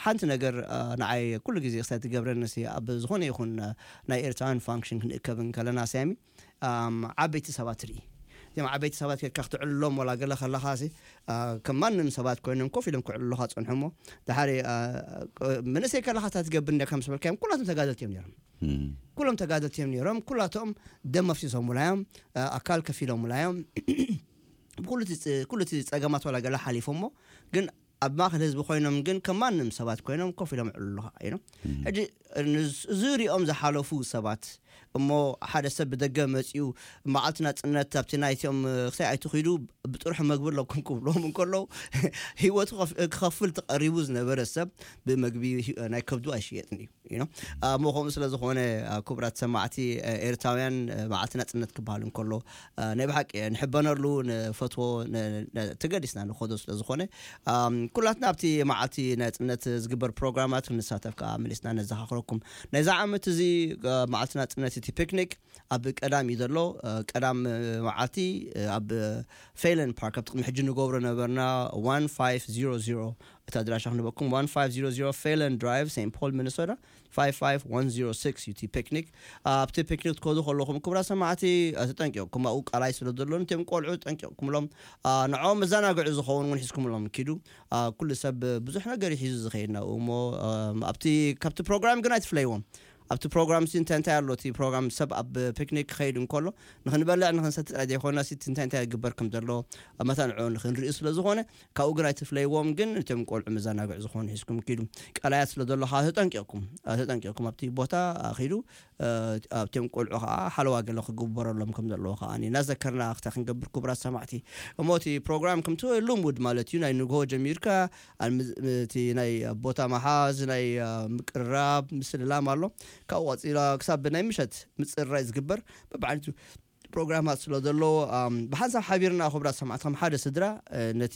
ሓንቲ ነገር ንዓይ ኩሉ ግዜ ክሳይ ትገብረኒ፣ ኣብ ዝኾነ ይኹን ናይ ኤርትራውያን ፋንክሽን ክንእከብ እንከለና፣ ሳሚ፣ ዓበይቲ ሰባት ርኢ። እዚም ዓበይቲ ሰባት ጌርካ ክትዕልሎም ወላ ገለ ከለኻ፣ ከም ማንም ሰባት ኮይኖም ኮፍ ኢሎም ክዕልሉኻ ጸንሑ። እሞ ድሓሪ፣ መንእሰይ ከለኻ እንታይ ትገብር ነርካ ምስ በልካዮም፣ ኩላቶም ተጋደልቲ እዮም ነይሮም። ኩሎም ተጋደልቲ እዮም ነይሮም። ኩላቶም ደም ኣፍሲሶምላ እዮም፣ ኣካል ከፊሎምላ እዮም። ኩሉ እቲ ጸገማት ዋላ ገለ ሓሊፎሞ፣ ግን ኣብ ማእከል ህዝቢ ኮይኖም ግን ከም ማንም ሰባት ኮይኖም ኮፍ ኢሎም ይዕልሉኻ እዮም። ሕጂ እዚ ሪኦም ዝሓለፉ ሰባት፣ እሞ ሓደ ሰብ ብደገ መጺኡ፣ መዓልቲ ናጽነት ኣብቲ ናይቲኦም ክሳይ ኣይትኺዱ፣ ብጥርሑ መግቢ ኣለኩም ክብሎም እንከለዉ፣ ህይወቱ ክኸፍል ተቐሪቡ ዝነበረ ሰብ ብመግቢ ናይ ከብዱ ኣይሽየጥን እዩ። እሞ ከምኡ ስለ ዝኾነ፣ ክቡራት ሰማዕቲ፣ ኤርትራውያን መዓልቲ ናጽነት ክበሃል እንከሎ፣ ናይ ብሓቂ ንሕበነሉ፣ ንፈትዎ፣ ተገዲስና ንኸዶ ስለ ዝኾነ፣ ኩላትና ኣብቲ መዓልቲ ናጽነት ዝግበር ፕሮግራማት ክንሳተፍ ከዓ መሊስና ነዘኻኽረኩም። ናይዚ ዓመት እዚ መዓልቲ ናጽነት እቲ ፒክኒክ ኣብ ቀዳም እዩ ዘሎ። ቀዳም መዓልቲ ኣብ ፌለን ፓርክ፣ ኣብ ጥቕሚ ሕጂ ንገብሮ ነበርና፣ one five zero zero፣ እቲ ኣድራሻ ክንበኩም፣ one five zero zero Phelan Drive, Saint Paul, Minnesota, five five one zero six እዩ እቲ ፒክኒክ። ኣብቲ ፒክኒክ ትከዱ ከለኹም፣ ክቡራት ሰማዕቲ፣ ተጠንቂቕኩም፣ ኣብኡ ቃላይ ስለ ዘሎ፣ ነቶም ቆልዑ ጠንቂቕኩምሎም፣ ንዕኦም መዘናግዒ ዝኸውን እውን ሒዝኩምሎም ኪዱ። ኩሉ ሰብ ብዙሕ ነገር እዩ ሒዙ ዝኸይድ ናብኡ። እሞ ኣብቲ፣ ካብቲ ፕሮግራም ግን ኣይትፍለይዎም። ኣብቲ ፕሮግራም ሲ እንታይ እንታይ ኣሎ? እቲ ፕሮግራም ሰብ ኣብ ፒክኒክ ክኸይድ እንከሎ ንክንበልዕ ንክንሰቲ ጥራይ ዘይኮነ፣ ሲ እንታይ እንታይ ይግበር ከም ዘሎ መታን ንዕኡ ንክንርኢ ስለ ዝኾነ፣ ካብኡ ግን ኣይትፍለይዎም። ግን ነቶም ቆልዑ መዘናግዒ ዝኾኑ ሒዝኩም ኪዱ። ቀላያት ስለ ዘሎ ከዓ ተጠንቂቕኩም፣ ተጠንቂቕኩም ኣብቲ ቦታ ኪዱ። ኣብቶም ቆልዑ ከዓ ሓለዋ ገለ ክግበረሎም ከም ዘለዎ ከዓ እናዘከርና ክታ ክንገብር፣ ክቡራት ሰማዕቲ። እሞ እቲ ፕሮግራም ከምቲ ልሙድ ማለት እዩ፣ ናይ ንግሆ ጀሚርካ እቲ ናይ ቦታ መሓዝ፣ ናይ ምቅርራብ፣ ምስልላም ኣሎ። ካብኡ ቀፂላ ክሳብ ናይ ምሸት ምፅርራይ ዝግበር በብዓይነቱ ፕሮግራማት ስለ ዘሎ፣ ብሓንሳብ ሓቢርና፣ ክቡራት ሰማዕቲ፣ ከም ሓደ ስድራ ነቲ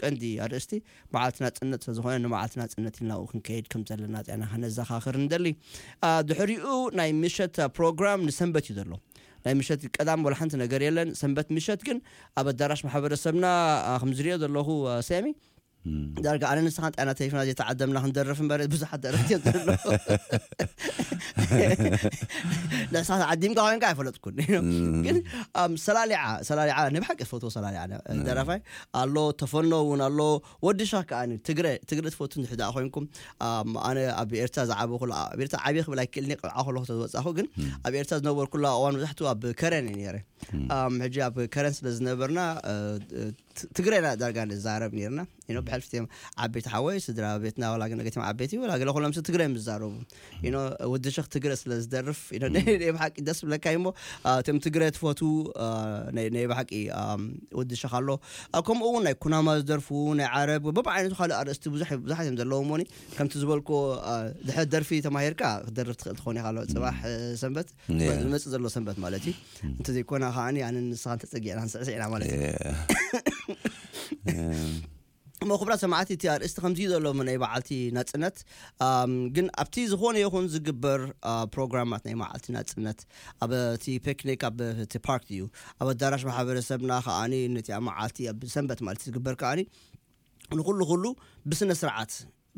ቀንዲ ኣርእስቲ መዓልቲ ናጽነት ስለ ዝኾነ፣ ንመዓልቲ ናጽነት ኢልና ኣብኡ ክንከይድ ከም ዘለና ጥዕና ከነዘኻኽር ንደሊ። ድሕሪኡ ናይ ምሸት ፕሮግራም ንሰንበት እዩ ዘሎ። ናይ ምሸት ቀዳም ወላ ሓንቲ ነገር የለን። ሰንበት ምሸት ግን ኣብ ኣዳራሽ ማሕበረሰብና፣ ከም ዝሪኦ ዘለኹ፣ ሳሚ፣ ዳርጋ ኣነ ንስኻን ጥዕና ተሪፍና ዘይተዓደምና ክንደርፍ እምበር፣ ብዙሓት ደረፍቲ እዮም ዘለዉ። ንስኻ ዓዲምካ ኮይንካ ኣይፈለጥኩን። ግን ኣም፣ ሰላሊዓ ሰላሊዓ ናይ ብሓቂ ፈትዎ ሰላሊዓ ደራፋይ ኣሎ። ተፈኖ እውን ኣሎ። ወዲ ሸኽ ከኣ ትግረ ትግረ ትፈቱ እንድሕር ደኣ ኮይንኩም፣ ኣም፣ ኣነ ኣብ ኤርትራ ዝዓበኹ ኣብ ኤርትራ ዓብየ ክብል ኣይክእልኒ። ቆልዓ ከለኹ ተዝወጻኹ ግን ኣብ ኤርትራ ዝነበርኩላ እዋን መብዛሕትኡ ኣብ ከረን እየ ነይረ። ኣም፣ ሕጂ ኣብ ከረን ስለ ዝነበርና እ፣ እ፣ ት- ትግረ ኢና ዳርጋ ንዛረብ ነርና። ዩ ኖ፣ ብሕልፊ እቲኦም ዓበይቲ ሓወይ ስድራ ቤትና ዋላ ግን ገቲም ዓበይቲ ዋላ ገለ ኩሎም ሰብ ትግረ ምዛረቡ። ዩ ኖ፣ ወዲ ሸኽ ትግረ ስለ ዝደርፍ ዩ ኖ፣ ናይ ብሓቂ ደስ ብለካ እሞ፣ አ፣ እቶም ትግረ ትፈቱ፣ አ፣ ናይ ናይ ብሓቂ፣ አ፣ ወዲ ሸኽ ኣሎ። አ፣ ከምኡ እውን ናይ ኩናማ ዝደርፉ ናይ ዓረብ በብዓይነቱ ካልእ ኣርእስቲ ብዙሕ ብዙሓት እዮም ዘለዎም። ሞኒ ከምቲ ዝበልኩ፣ አ፣ ድሕሪ ደርፊ ተማሂርካ ክትደርፍ ትኽእል ትኾን ኢኻ ኣሎ ጽባሕ፣ እ፣ ሰንበት ያ። ዝመጽእ ዘሎ ሰንበት ማለት እዩ። እንተዘይኮነ ከዓኒ ኣነ ንስኻን ተጸጊዕና ንስዕስዕ ኢና ማለት እዩ። እሞ ክቡራት ሰማዕቲ እቲ ኣርእስቲ ከምዚ እዩ ዘሎ ናይ በዓልቲ ናጽነት። ኣም፣ ግን ኣብቲ ዝኾነ ይኹን ዝግበር፣ አ፣ ፕሮግራማት ናይ መዓልቲ ናጽነት ኣብ እቲ ፒክኒክ ኣብ እቲ ፓርክ እዩ ኣብ ኣዳራሽ ማሕበረሰብና ከዓኒ ነቲ ኣብ መዓልቲ ኣብ ሰንበት ማለት ዝግበር ከዓኒ ንኩሉ ኩሉ ብስነ ስርዓት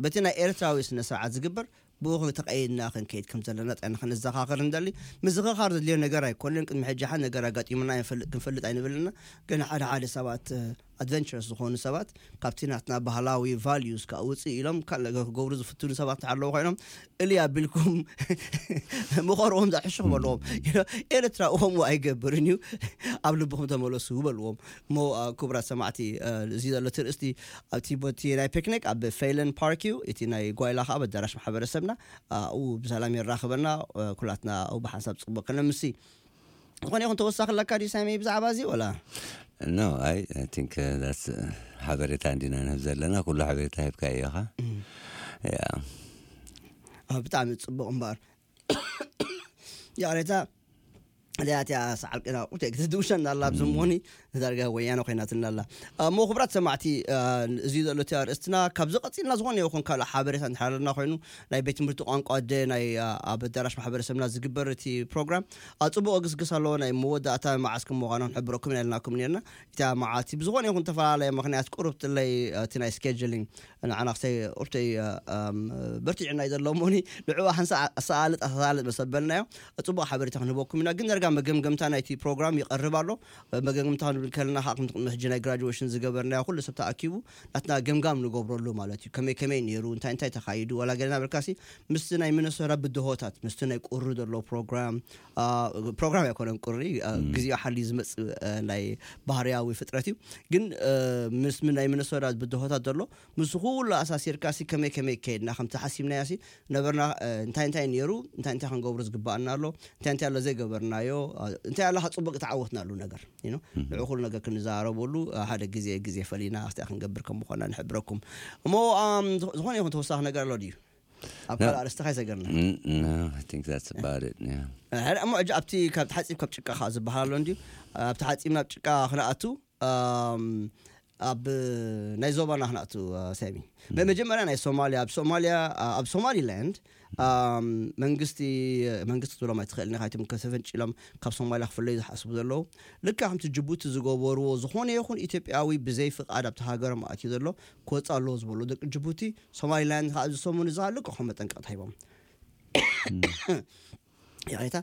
በቲ ናይ ኤርትራዊ ስነ ስርዓት ዝግበር ብኡ ተቐይድና ክንከይድ ከም ዘለና ጥዕና ክንዘኻኸር ንደሊ። ምዝኽኻር ዘድልዮ ነገር ኣይኮነን። ቅድሚ ሕጂ ሓደ ነገር ኣጋጢሙና ይንፈልጥ ክንፈልጥ ኣይንብልና። ግን ሓደ ሓደ ሰባት ኣድቨንቸርስ ዝኾኑ ሰባት ካብቲ ናትና ባህላዊ ቫልዩስ ካብ ውፅእ ኢሎም ካልእ ነገር ክገብሩ ዝፍትኑ ሰባት ኣለዉ ኮይኖም እሊ ኣቢልኩም ምኸርዎም ዘሕሽኹም ኣለዎም። ኤርትራ እሞ ኣይገብርን እዩ፣ ኣብ ልብኹም ተመለሱ በልዎም። እሞ ክቡራት ሰማዕቲ፣ እዚ ዘሎ ትርእስቲ ኣብቲ ቦቲ ናይ ፒክኒክ ኣብ ፌለን ፓርክ እዩ። እቲ ናይ ጓይላ ከዓ ኣብ ኣዳራሽ ማሕበረሰብና ኣብኡ ብሰላም የራኽበና። ኩላትና ኣብኡ ብሓንሳብ ፅቡቅ ከነምሲ። ዝኾነ ይኹን ተወሳኺ ኣለካ ድዩ ሳሚ ብዛዕባ እዚ ወላ? No, I, I think that's ሓበሬታ እንዲና ንህብ ዘለና። ኩሉ ሓበሬታ ሂብካ እዮኻ። ያ ብጣዕሚ ፅቡቅ እምበኣር ያሬታ እዚኣትያ ሰዓል ቅና ቁቴ ክትድውሸና ኣላ ኣብዚ ሞኒ ንዳርጋ ወያነ ኮይናትና ኣላ። እሞ ክቡራት ሰማዕቲ፣ እዚ ዘሎ እቲ ኣርእስትና ካብዚ ቀፂልና ዝኾነ ይኹን ካልእ ሓበሬታ እንድሓለና ኮይኑ ናይ ቤት ትምህርቲ ቋንቋ ኣደ ናይ ኣብ ኣዳራሽ ማሕበረሰብና ዝግበር እቲ ፕሮግራም ኣብ ፅቡቅ ግስግስ ኣለዎ። ናይ መወዳእታ መዓስ ከም ምዃኑ ክንሕብረኩም ኢና ኢልናኩም ነርና። እታ መዓልቲ ብዝኾነ ይኹን ተፈላለየ ምክንያት ቁሩብ ትለይ እቲ ናይ ስኬጁሊንግ ንዓና ክሳይ ቁርተይ በርቲዕና እዩ ዘሎ እሞኒ ንዕኡ ሓንሳ ኣሰኣልጥ ኣሰሳልጥ መሰበልናዮ። ፅቡቅ ሓበሬታ ክንህበኩም ኢና። ግን ደርጋ መገምገምታ ናይቲ ፕሮግራም ይቀርብ ኣሎ። መገምገምታ ክንብል ከለና ከዓ ከምቲ ቅድሚ ሕጂ ናይ ግራጁዌሽን ዝገበርናዮ ኩሉ ሰብ ተኣኪቡ ናትና ገምጋም ንገብረሉ ማለት እዩ። ከመይ ከመይ ነይሩ፣ እንታይ እንታይ ተኻይዱ፣ ዋላ ገለና በልካሲ ምስቲ ናይ ሚነሶታ ብድሆታት ምስቲ ናይ ቁሪ ዘሎ ፕሮግራም ፕሮግራም ኣይኮነን ቁሪ ግዜኡ ሓልዩ ዝመፅእ ናይ ባህርያዊ ፍጥረት እዩ። ግን ምስ ናይ ሚነሶታ ብድሆታት ዘሎ ምስ ኩሉ ኣሳሲርካ ሲ ከመይ ከመይ ከይድና ከምቲ ሓሲብናዮ ሲ ነበርና፣ እንታይ እንታይ ነይሩ፣ እንታይ እንታይ ክንገብሮ ዝግባኣና ኣሎ፣ እንታይ እንታይ ኣሎ ዘይገበርናዮ፣ እንታይ ኣሎ ጽቡቅ ተዓወትናሉ ነገር you know ንዕኡ ኩሉ ነገር ክንዘራረበሉ ሓደ ግዜ ግዜ ፈሊና ኣስቲያ ክንገብር ከም ምኾና ንሕብረኩም። እሞ ዝኾነ ይኹን ተወሳኺ ነገር ኣሎ ድዩ? ኣብ ካልእ ኣርእስቲ ካይሰገርና። No, I think that's about it. Yeah. ሕደ እሞ ሕጂ ኣብቲ ካብ ተሓፂብ ካብ ጭቃ ከዓ ዝበሃል ኣሎ እንድዩ። ኣብቲ ሓፂብ ናብ ጭቃ ክነኣቱ ኣብ ናይ ዞባና ክነኣቱ ሰሚ መጀመርያ ናይ ሶማልያ ኣብ ሶማልያ ኣብ ሶማሊላንድ መንግስቲ መንግስቲ ክትብሎም ኣይትኽእልን ኢኻ። እቶም ከተፈንጭሎም ካብ ሶማልያ ክፍለዩ ዝሓስቡ ዘለዉ ልክዕ ከምቲ ጅቡቲ ዝገበርዎ ዝኾነ ይኹን ኢትዮጵያዊ ብዘይ ፍቓድ ኣብቲ ሃገሮም ኣትዩ ዘሎ ክወፅእ ኣለዎ ዝበሉ ደቂ ጅቡቲ ሶማሊላንድ ከዓ ኣብዚ ሰሙን እዚ ከዓ ልክዖም መጠንቀቕታ ሂቦም። ይቕሬታ።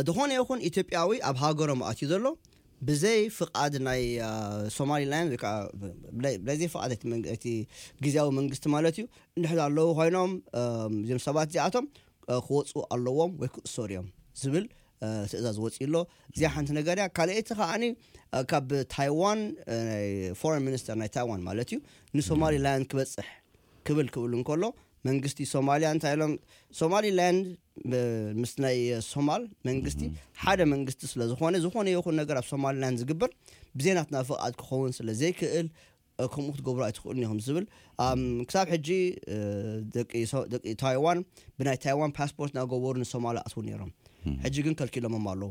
ዝኾነ ይኹን ኢትዮጵያዊ ኣብ ሃገሮም ኣትዩ ዘሎ ብዘይ ፍቓድ ናይ ሶማሊላንድ ወይ ከዓ ብዘይ ፍቓድ እቲ ግዜያዊ መንግስቲ ማለት እዩ እንድሕር ኣለዉ ኮይኖም እዞም ሰባት እዚኣቶም ክወፁ ኣለዎም ወይ ክእሰሩ እዮም ዝብል ትእዛዝ ወፂኡ ኣሎ። እዚኣ ሓንቲ ነገር እያ። ካልኣይቲ ከዓኒ ካብ ታይዋን ፎረን ሚኒስተር ናይ ታይዋን ማለት እዩ ንሶማሊላንድ ክበፅሕ ክብል ክብል እንከሎ መንግስቲ ሶማልያ እንታይ ኢሎም ሶማሊላንድ ምስ ናይ ሶማል መንግስቲ ሓደ መንግስቲ ስለ ዝኾነ ዝኾነ ይኹን ነገር ኣብ ሶማሊላንድ ዝግበር ብዘይ ናትና ፍቓድ ክኸውን ስለ ዘይክእል ከምኡ ክትገብሩ ኣይትኽእሉን ኢኹም ዝብል ክሳብ ሕጂ ደቂ ታይዋን ብናይ ታይዋን ፓስፖርት እናገበሩ ንሶማል ኣትዉ ነይሮም። ሕጂ ግን ከልኪሎሞም ኣለዉ።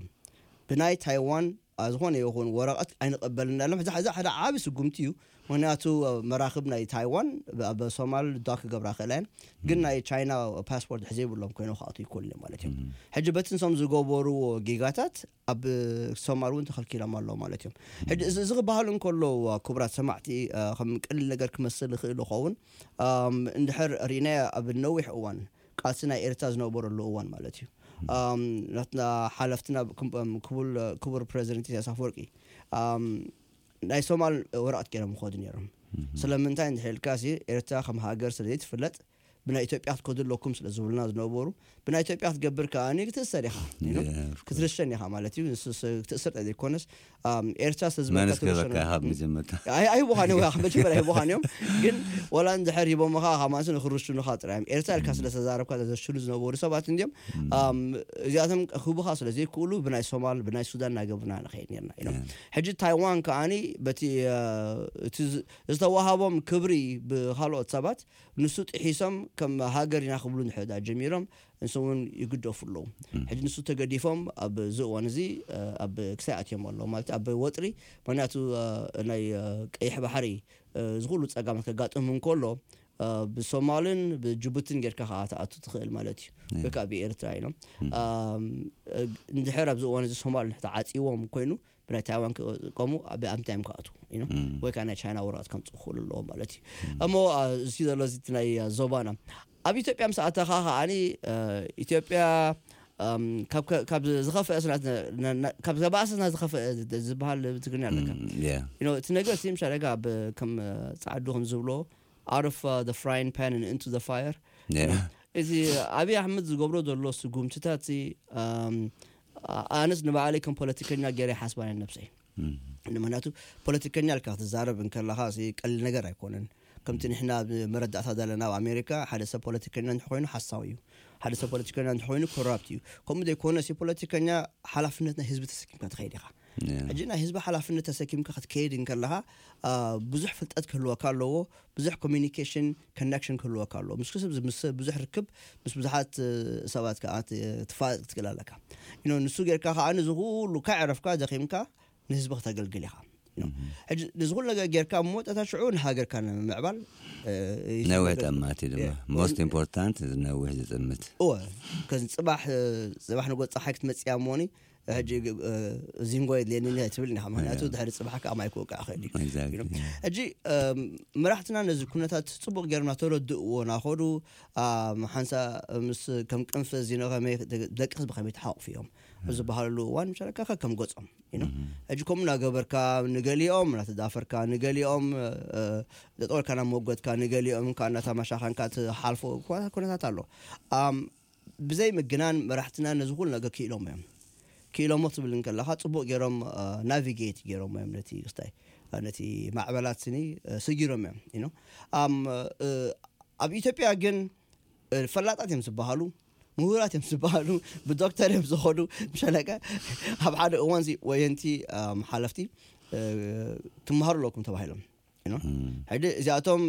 ብናይ ታይዋን ዝኾነ ይኹን ወረቐት ኣይንቐበልን ኣለና። እዚ ሓደ ዓቢ ስጉምቲ እዩ። ምክንያቱ መራኽብ ናይ ታይዋን ኣብ ሶማል ዳክ ክገብራ ክእላ እየን፣ ግን ናይ ቻይና ፓስፖርት ሕዘ ይብሎም ኮይኖም ክኣትዉ ይክእሉ እዮም ማለት እዮም። ሕጂ በቲ ንሶም ዝገበርዎ ጌጋታት ኣብ ሶማል እውን ተኸልኪሎም ኣለዉ ማለት እዮም። ሕጂ እዚ ክበሃል እንከሎ ክቡራት ሰማዕቲ ከም ቀሊል ነገር ክመስል ይኽእል ይኸውን። እንድሕር ርኢናዮ ኣብ ነዊሕ እዋን ቃልሲ ናይ ኤርትራ ዝነበረሉ እዋን ማለት እዩ። ኣም፣ ናትና ሓለፍትና ክም- ክቡል- ክቡር ፕሬዚደንት ኢሳያስ ኣፈወርቂ፣ ኣም፣ ናይ ሶማል ወረቐት ገይሮም ይኸዱ ነይሮም። ስለምንታይ እንድሕር ኢልካ ሲ፣ ኤርትራ ከም ሃገር ስለ ዘይትፍለጥ፣ ብናይ ኢትዮጵያ ክትከዱ ኣለኩም ስለ ዝብሉና ዝነበሩ፣ ብናይ ኢትዮጵያ ክትገብር ከኣ ክትእሰር ኢኻ ክትርሸን ኢኻ ማለት እዩ። ክትእሰር ዘይኮነስ፣ ኤርትራ ስለ ዝበልካ ትርሸን። ካብ መጀመርታ ኣይቦኻን እዮም መጀመር ኣይቦኻን እዮም። ግን ወላ እንድሕር ሂቦምኻ ካብ ማለት ንክርሽኑኻ ጥራይ እዮም። ኤርትራ ኢልካ ስለ ተዛረብካ ዘሽሉ ዝነበሩ ሰባት እንዲዮም። እዚኣቶም ክህቡኻ ስለ ዘይክእሉ ብናይ ሶማል ብናይ ሱዳን እናገብርና ንኸይድ ነርና ኢሎም። ሕጂ ታይዋን ከኣኒ በቲ ዝተዋሃቦም ክብሪ ብካልኦት ሰባት ንሱ ጥሒሶም ከም ሃገር ኢና ክብሉ ንሕዳ ጀሚሮም። ንሱ እውን ይግደፉ ኣለዉ። ሕጂ ንሱ ተገዲፎም ኣብዚ እዋን እዚ ኣብ ክሳይ ኣትዮም ኣለዉ ማለት ኣብ ወጥሪ። ምክንያቱ ናይ ቀይሕ ባሕሪ ዝኩሉ ፀጋማት ከጋጥም እንከሎ ብሶማልን ብጅቡትን ጌርካ ከዓ ትኣቱ ትኽእል ማለት እዩ። ወይ ከዓ ብኤርትራ ኢሎም እንድሕር ኣብዚ እዋን እዚ ሶማል ተዓፂዎም ኮይኑ ብናይ ታይዋን ክቀሙ ብኣምንታይ እዮም ክኣቱ ወይ ከዓ ናይ ቻይና ወረቐት ከምፅእ ክኽእሉ ኣለዎም ማለት እዩ። እሞ እዚ ዘሎ እዚ ናይ ዞባና ኣብ ኢትዮጵያ ምስ ኣተኻ ከዓኒ ኢትዮጵያ ካብ ዝኸፍአ ካብ ዘባእሰና ዝኸፍአ ዝበሃል ትግርኛ ኣለካ። እቲ ነገር ሲ ምሻ ደጋ ከም ፃዕዱ ከም ዝብሎ out of the frying pan and into the fire። እዚ ኣብይ ኣሕመድ ዝገብሮ ዘሎ ስጉምትታት ኣነስ ንባዕለይ ከም ፖለቲከኛ ገይረ ሓስባን ነብሰይ። ንምክንያቱ ፖለቲከኛ ልካ ክትዛረብ እንከለካ ቀሊል ነገር ኣይኮነን። ከምቲ ንሕና መረዳእታ ዘለና ኣብ ኣሜሪካ ሓደ ሰብ ፖለቲከኛ እንተኮይኑ ሓሳዊ እዩ። ሓደ ሰብ ፖለቲከኛ እንተኮይኑ ኮራፕት እዩ። ከምኡ ዘይኮነ ሲ ፖለቲከኛ ሓላፍነት ናይ ህዝቢ ተሰኪምካ ትኸይድ ኢኻ። ሕጂ ናይ ህዝቢ ሓላፍነት ተሰኪምካ ክትከይድ እንከለካ ብዙሕ ፍልጠት ክህልወካ ኣለዎ። ብዙሕ ኮሚኒኬሽን ኮነክሽን ክህልወካ ኣለዎ። ምስ ክስብ ምስ ብዙሕ ርክብ ምስ ብዙሓት ሰባት ከዓ ትፋለጥ ክትክእል ኣለካ። ንሱ ጌርካ ከዓ ንዚ ኩሉ ካዕረፍካ ደኺምካ ንህዝቢ ክተገልግል ኢኻ። ሕጂ ንዚ ኩሉ ነገር ጌርካ እሞ ጠታ ሽዑ ንሃገርካ ንምምዕባል ነዊሕ ጠማት እዩ ድማ most important ነዊሕ ዝጥምት። እወ ከዚ ፅባሕ ፅባሕ ንጎ ፀሓይ ክትመፅያ እሞኒ ሕጂ ዚንጎ የድልየኒ ትብል ኢኻ። ምክንያቱ ድሕሪ ፅባሕ ከዓ ማይ ክወቅዕ ክእል እዩ። ሕጂ መራሕትና ነዚ ኩነታት ፅቡቅ ገይሮም እናተረድእዎ እናኸዱ ሓንሳ ምስ ከም ቅንፍ ዚኖ ደቂ ህዝቢ ከመይ ተሓቁፉ እዮም ዝበሃለሉ እዋን ምሻለካ ከም ገፆም ሕጂ ከምኡ እናገበርካ ንገሊኦም እናተዳፈርካ ንገሊኦም ጠጠወልካ ናብ መጎትካ ንገሊኦም ከዓ እናተማሻኸንካ ትሓልፎ ኩነታት ኣሎ። ብዘይ ምግናን መራሕትና ነዚ ኩሉ ነገር ክኢሎሞ እዮም። ክኢሎሞ ትብል እንከለካ ፅቡቅ ገይሮም ናቪጌት ገይሮሞ እዮም ነቲ ክስታይ ነቲ ማዕበላት ስኒ ስጊሮም እዮም። ኣብ ኢትዮጵያ ግን ፈላጣት እዮም ዝበሃሉ ምሁራት እዮም ዝበሃሉ ብዶክተር እዮም ዝኸዱ ምሸለቀ ኣብ ሓደ እዋን ወየንቲ ሓለፍቲ ትመሃሩ ኣለኩም ተባሂሎም ሕጂ እዚኣቶም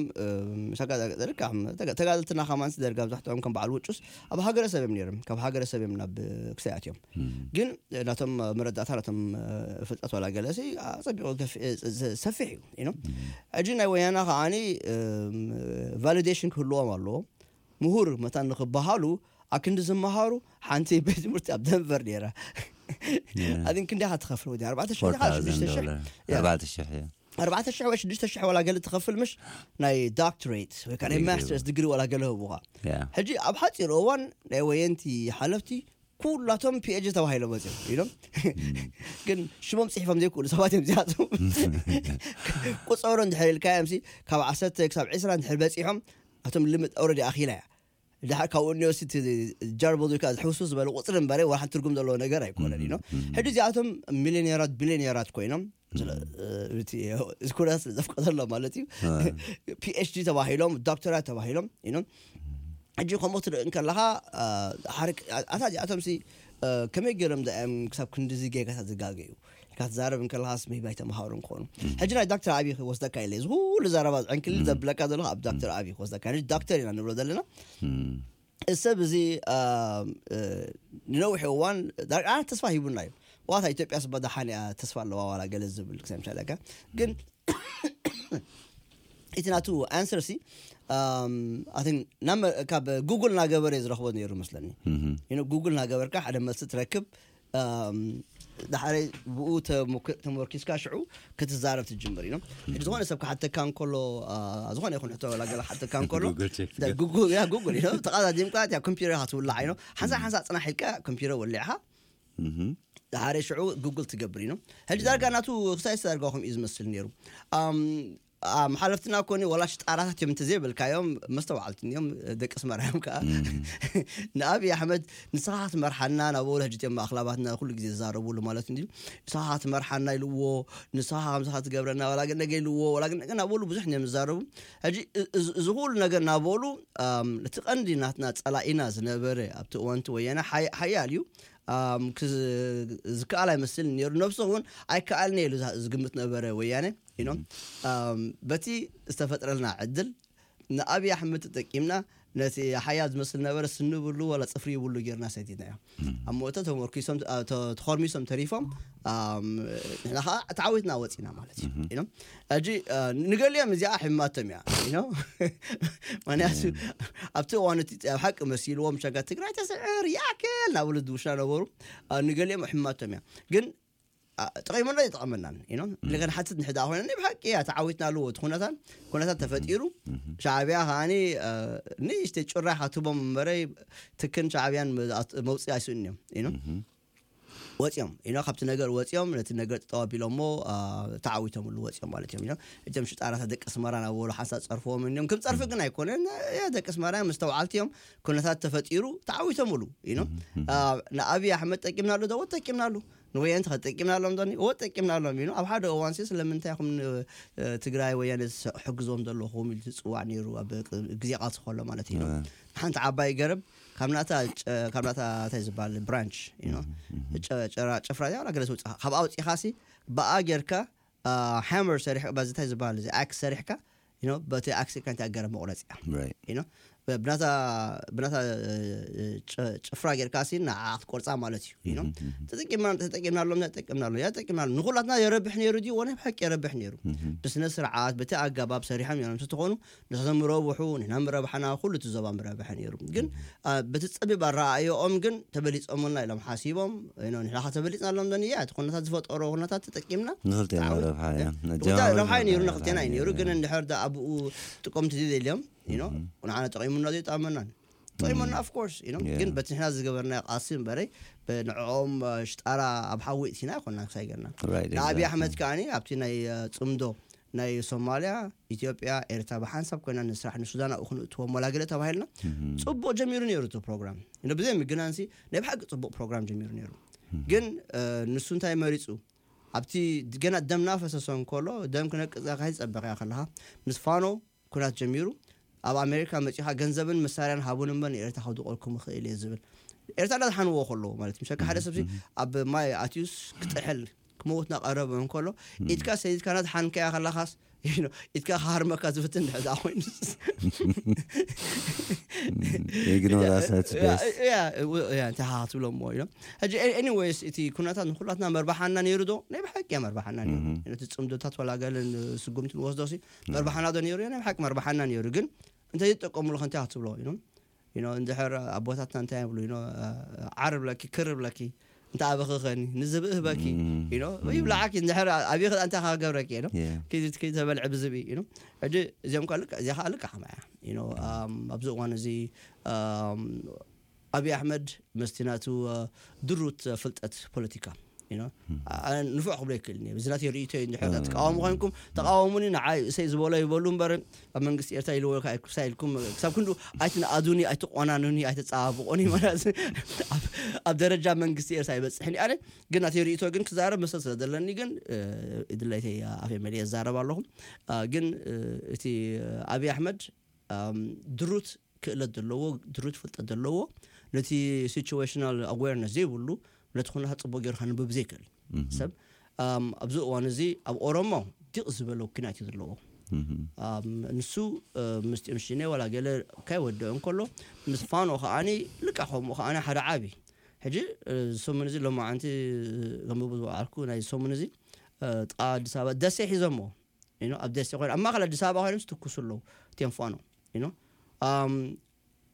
ተጋደልትና ከማን ደርጋ ብዛሕትኦም ከም በዓል ውጩስ ኣብ ሃገረሰብ እዮም ነይሮም ካብ ሃገረሰብ እዮም ናብ ክሳያት እዮም። ግን ናቶም መረዳእታ ናቶም ፍልጠት ዋላ ገለሲ ኣፀቢቑ ሰፊሕ እዩ። ሕጂ ናይ ወያና ከዓኒ ቫሊዴሽን ክህልዎም ኣለዎ። ምሁር መታን ንክበሃሉ ኣክንዲ ዝመሃሩ ሓንቲ ቤት ትምህርቲ ኣብ ደንቨር ነይራ። ኣን ክንዲ ኢኻ ትኸፍል ወዲ ኣርባዕተ ሽሕ ኣርባዕተ ሽሕ ወይ ሽዱሽተ ሽሕ ዋላ ገለ ትኸፍል ምሽ ናይ ዶክትሬት ወይ ከዓ ናይ ማስተርስ ድግሪ ዋላ ገለ ህቡኻ። ሕጂ ኣብ ሓፂር እዋን ናይ ወየንቲ ሓለፍቲ ኩላቶም ፒኤች ተባሂሎም መፅኦም ኢሎም ግን ሽሞም ፅሒፎም ዘይክእሉ ሰባት እዮም እዚኣቶም። ቁፀሮ እንድሕር ኢልካዮም ካብ ዓሰርተ ክሳብ ዕስራ እንድሕር በፂሖም ኣቶም ልምድ ኣውረዲ ኣኺላ እያ። ድሓር ካብኡ እኒኦ ሲ ጃርቦ ካ ዝሕውሱ ዝበለ ቁፅሪ እምበረ ወላ ሓንቲ ትርጉም ዘለዎ ነገር ኣይኮነን ኢኖ። ሕጂ እዚኣቶም ሚሊዮኔራት ቢሊዮኔራት ኮይኖም ኩነታት ስለ ዘፍቀደሎ ማለት እዩ። ፒኤችዲ ተባሂሎም ዶክተራት ተባሂሎም ኢኖ። ሕጂ ከምኡ ትርኢ እንከለካ ኣታ እዚኣቶም ሲ ከመይ ገይሮም ዳእም ክሳብ ክንዲዚ ጌጋታት ዝጋገዩ ኢልካ ትዛረብ እንከለካስ maybe ኣይተምሃሩን ክኾኑ። ሕጂ ናይ ዳክተር ኣብይ ክወስደካ ኢለ እዚ ኩሉ ዘረባ ዝዕንክልል ዘብለካ ዘለኹ ኣብ ዳክተር ኣብይ ክወስደካ ዳክተር ኢና ንብሎ ዘለና። እሰብ እዚ ንነዊሕ እዋን ዳርጋ ተስፋ ሂቡና እዩ። ዋታ ኢትዮጵያ ስባ ደሓን እያ ተስፋ ኣለዋ ዋላ ገለ ዝብል ክሳብ ምሻለካ ግን እቲ ናቱ ኣንሰር ሲ ካብ ጉግል ናገበረ ዝረኽቦ ነይሩ መስለኒ። ጉግል ናገበርካ ሓደ መልሲ ትረክብ። ኣም፣ ዳሕረይ ብኡ ተሞክ- ተመርኪስካ ሽዑ ክትዛረብ ትጅምር እዩ። ሕጂ ዝኾነ ሰብ ክሓተካ እንከሎ፣ ኣ፣ ዝኾነ ይኹን ሕቶ ወላ ገለ ክሓተካ እንከሎ፣ ጉግል ቼክ ዳ- ጉግል ያ ጉግል እዩ። ተቓዳዲምካ እቲያ ኮምፒውተር ኢኻ ትውላዕ እዩ። ሓንሳ ሓንሳ ጽናሕ ኢልካ ኮምፒውተር ወሊዕኻ እህ። ዳሕረይ ሽዑ ጉግል ትገብር እዩ። ሕጂ ዳርጋ ናቱ ክሳይ ዳርጋ ከምኡ እዩ ዝመስል ነይሩ። ኣም፣ ኣም፣ ሓለፍትና ኮኒ ወላ ሽጣራታት እዮም እንተዘይበልካዮም መስተውዓልቲ እዮም፣ ደቂ ኣስመራ እዮም ከዓ። ንኣብይ ኣሕመድ ንስኻ ክትመርሓና ናብ ወሎ ሕጂ እዮም ኣኽላባትና ኩሉ ግዜ ዝዛረብሉ ማለት እንድዩ። ንስኻ ክትመርሓና ኢልዎ፣ ንስኻ ከምዚ ክትገብረና ወላ ግን ነገ ኢልዎ፣ ወላ ግን ነገ ናብ ወሉ ብዙሕ እዮም ዝዛረቡ። ሕጂ እ- እዚ እዚ ኩሉ ነገር ናብ ወሉ ኣም፣ እቲ ቀንዲ ናትና ጸላኢና ዝነበረ ኣብቲ እዋንቲ ወያነ ሓይ- ሓያል እዩ። ኣም፣ ክዝ- ዝከኣል ኣይመስልን ነይሩ። ነብሱ እውን ኣይከኣልን ኢሉ ዛ- ዝግምት ነበረ ወያነ ኢኖም። ኣም፣ በቲ ዝተፈጥረልና ዕድል ንኣብይ ኣሕመድ ተጠቂምና ነቲ ሓያል ዝመስል ነበረ ስኒ ብሉ ወላ ጽፍሪ ይብሉ ጌርና ሰቲናዮ። ኣብ ሞተ ተመርኪሶም ተ- ተ- ተኾርሚሶም ተሪፎም። ኣም፣ ንሕና ከዓ ተዓዊትና ወፂና ማለት እዩ ኢኖም። ሕጂ እ፣ ንገሊኦም እዚኣ ሕማቶም እያ ኢኖም። ምክንያቱ ኣብቲ እዋን እቲ ኣብ ሓቂ መሲልዎም ሸጋ ትግራይ ተስዕር ያክል ናብሉ ድውሻ ነበሩ። እ፣ ንገሊኦም ሕማቶም እያ ግን ኣ፣ ጠቒሙና ይጠቐመናን ኢኖም። ለገን ሓትት ንሕዳ ኮይነ ናይ ብሓቂ እያ ተዓዊትና ኣለዎ እቲ ኩነታት ኩነታት ተፈጢሩ። ሻዕብያ ከዓኒ እ፣ ንእሽተይ ጭራይ ካትቦም እምበረይ ትክን ሻዕብያን መ- ኣት- መውፅኢ ኣይስእን እዮም ኢኖም። ወፂኦም ኢኖ ካብቲ ነገር ወፂኦም ነቲ ነገር ጠጠው ኣቢሎሞ እ፣ ተዓዊቶምሉ ወፂኦም ማለት እዮም ኢኖም። እቶም ሽጣራታት ደቂ ኣስመራ ናብ ወሎ ሓንሳብ ፀርፍዎም እዮም። ከም ፀርፊ ግን ኣይኮነን። ያ ደቂ ኣስመራ መስተውዓልቲ እዮም። ኩነታት ተፈጢሩ ተዓዊቶምሉ ኢኖም። እ፣ ንኣብይ ኣሕመድ ጠቂምናሉ ዶ? ወ ጠቂምናሉ። ንወያነ ተጠቂምናሎም ዶ? ወ ጠቂምናሎም ኢኖም። ኣብ ሓደ እዋን ሲ ስለምንታይ ኹም ን- እ፣ ትግራይ ወያነ ስ- ሕግዞም ዘለኹም ኢሉ ትፅዋዕ ነይሩ ኣብ ቅ- ግዜ ቃልሲ ከሎ ማለት እዩ። ሓንቲ ዓባይ ገረብ ካብ ናታ ጨ- ካብ ናታ እንታይ ዝበሃል ብራንች ኢኖ ጨ- ጨራ- ጭፍራ እዚኣ ዋላ ገለ ትውፅእ ካብ ኣውፂኻ ሲ ብኣ ጌርካ ሃመር ሰሪሕ በዚ እንታይ ዝበሃል እዚ ኣክስ ሰሪሕካ ኢኖ በቲ ኣክስ ኢልካ እንታይ ገረብ መቁረፂ እያ Right. ኢኖ ብናታ ብናታ እ፣ ጭ- ጭፍራ ጌርካ ሲ ንዓ ክትቆርፃ ማለት እዩ ኢኖ ተጠቂምና ተጠቂምናሎም ተጠቂምናሎም ያ ተጠቂምናሎም ንኩላትና የረብሕ ነይሩ ድዩ ወነ ብሓቂ የረብሕ ነይሩ ብስነ ስርዓት በቲ ኣገባብ ሰሪሖም እዮም ተኾኑ ንሕና ምረብሑ ንሕና ምረብሓና ኩሉ እቲ ዞባ ምረብሐ ነይሩ ግን አ፣ በቲ ፀቢብ ኣረኣእዮኦም ግን ተበሊፆምልና ኢሎም ሓሲቦም ኢኖ ንሕና ከተበሊፅናሎም ዶ ንያ እቲ ኩነታት ዝፈጠሮ ኩነታት ተጠቂምና ንክልቴና ተዓወት- ረብሓ እያ ወታ ረብሓ እዩ ነይሩ ንክልቴና እዩ ነይሩ ግን እንድሕር ዳ ኣብኡ ጥቆምቲ ዘይደልዮም ኢኖ ንዓና ጠቂሙና ዘይጠመናን ጠቂሙና of course ኢኖ Yeah. ግን በቲ ንሕና ዝገበርና ቃልሲ እምበረይ ንዕኦም ሽጣራ ኣብ ሓዊ እቲና ይኮና ክሳይ ገርና Right, ንኣብይ exactly. ኣሕመድ ከዓኒ ኣብቲ ናይ እ፣ ፅምዶ ናይ ሶማልያ ኢትዮጵያ ኤርትራ ብሓንሳብ ኮይና ንስራሕ ንሱዳን ኣብኡ ክንእትዎም ወላ ገለ ተባሂልና ፅቡቅ ጀሚሩ ነይሩ እቲ ፕሮግራም እ ብዘይ ምግናንሲ ናይ ብሓቂ ፅቡቅ ፕሮግራም ጀሚሩ ነይሩ ግን እ፣ ንሱ እንታይ መሪፁ ኣብቲ ገና ደም ናፈሰሶ እንከሎ ደም ክነቅፀካ ይፀበቀያ ከለካ ምስ ፋኖ ኩናት ጀሚሩ ኣብ ኣሜሪካ መፂኻ ገንዘብን መሳርያን ሃቡን እምበር ንኤርትራ ከውድቀልኩም ይኽእል እየ ዝብል ኤርትራ እንዳዝሓንዎ ከለዎ ማለት እዩ ምሸካ ሓደ ሰብሲ ኣብ ማይ ኣትዩስ ክጥሕል ክመውት ናቀረበ እንከሎ ኢድካ ሰይድካ ናትሓንከያ ከለኻስ you know፣ ኢድካ ክሃርመካ ዝፍትን ድሕዛ ኮይኑ Ignore us at best. እንታይ ክትብሎ እሞ ኢሎም ሕጂ ኤኒዌይስ እቲ ኩነታት ንኩላትና መርባሓና ነይሩ ዶ ናይ ብሓቂ እያ መርባሓና ነይሩ ነቲ ፅምዶታት ወላ ገለ ስጉምቲ ንወስዶ ሲ መርባሓና ዶ ነይሩ ናይ ብሓቂ መርባሓና ነይሩ ግን እንተ ይጠቀሙሉ ከንታይ ክትብሎ you know you know እንድሕር ኣቦታትና እንታይ ይብሉ you know ዓር ብለኪ ክር ብለኪ እንተ ኣበኺ ኸኒ ንዝብእ ህበኪ you know ይብላዓኪ እንድሕር ኣብይ ክዳ እንታይ ክገብረኪ you know Yeah. ከይተበልዒ ብዝብኢ you know ሕጂ እዚኦም ከ ልክዕ እዚኣ ከዓ ልክዕ ከማ እያ you know um ኣብዚ እዋን እዚ um ኣብይ ኣሕመድ መስቲ ናቱ ድሩት ፍልጠት ፖለቲካ you know ኣነ ንፉዕ ክብሎ ይክእል እየ እዚ ናተይ ርእይቶ እዩ እንድሕር ተቃወሙ ኮይንኩም ተቃወሙኒ ንዓይ እሰይ ዝበሎ ይበሉ እምበር ኣብ መንግስቲ ኤርትራ ኢልዎ ክሳ ኢልኩም ክሳብ ክንዱ ኣይትንኣዱኒ ኣይትቆናኑኒ ኣይተፀባብቁኒ ማለት ኣብ- ኣብ ደረጃ መንግስቲ ኤርትራ ይበፅሕኒ ኣነ ግን ናተይ ርእይቶ ግን ክዛረብ መሰል ስለ ዘለኒ ግን እ፣ ድሌተይ ኣፈ መሊአ ዝዛረብ ኣለኹ እ፣ ግን እ፣ እቲ ኣብይ ኣሕመድ ኣም፣ ድሩት ክእለት ዘለዎ ድሩት ፍልጠት ዘለዎ ነቲ situational awareness ዘይብሉ ነቲ ኩነታት ፅቡቅ ገይሩ ከንብብ ዘይክእል ሰብ ኣም፣ ኣብዚ እዋን እዚ ኣብ ኦሮሞ ዲቕ ዝበለ ኩናት እዩ ዘለዎ ኣም፣ ንሱ እ፣ ምስጢኦም ሽነ ዋላ ገለ ካይወደኦ እንከሎ ምስ ፋኖ ከዓኒ ልቃ ከምኡ ከዓኒ ሓደ ዓቢ ሕጂ እ፣ ሰሙን እዚ ሎማዓንቲ ከንብቡ ዝወዓልኩ ናይ ሰሙን እዚ እ፣ ጥቃ ኣዲስ ኣበባ ደሴ ሒዞሞ you know ኣብ ደሴ ኮይኖም ኣብ ማእከል ኣዲስ ኣበባ ኮይኖም ዝትኩሱ ኣለዉ እቲኦም ፋኖ you know ኣም፣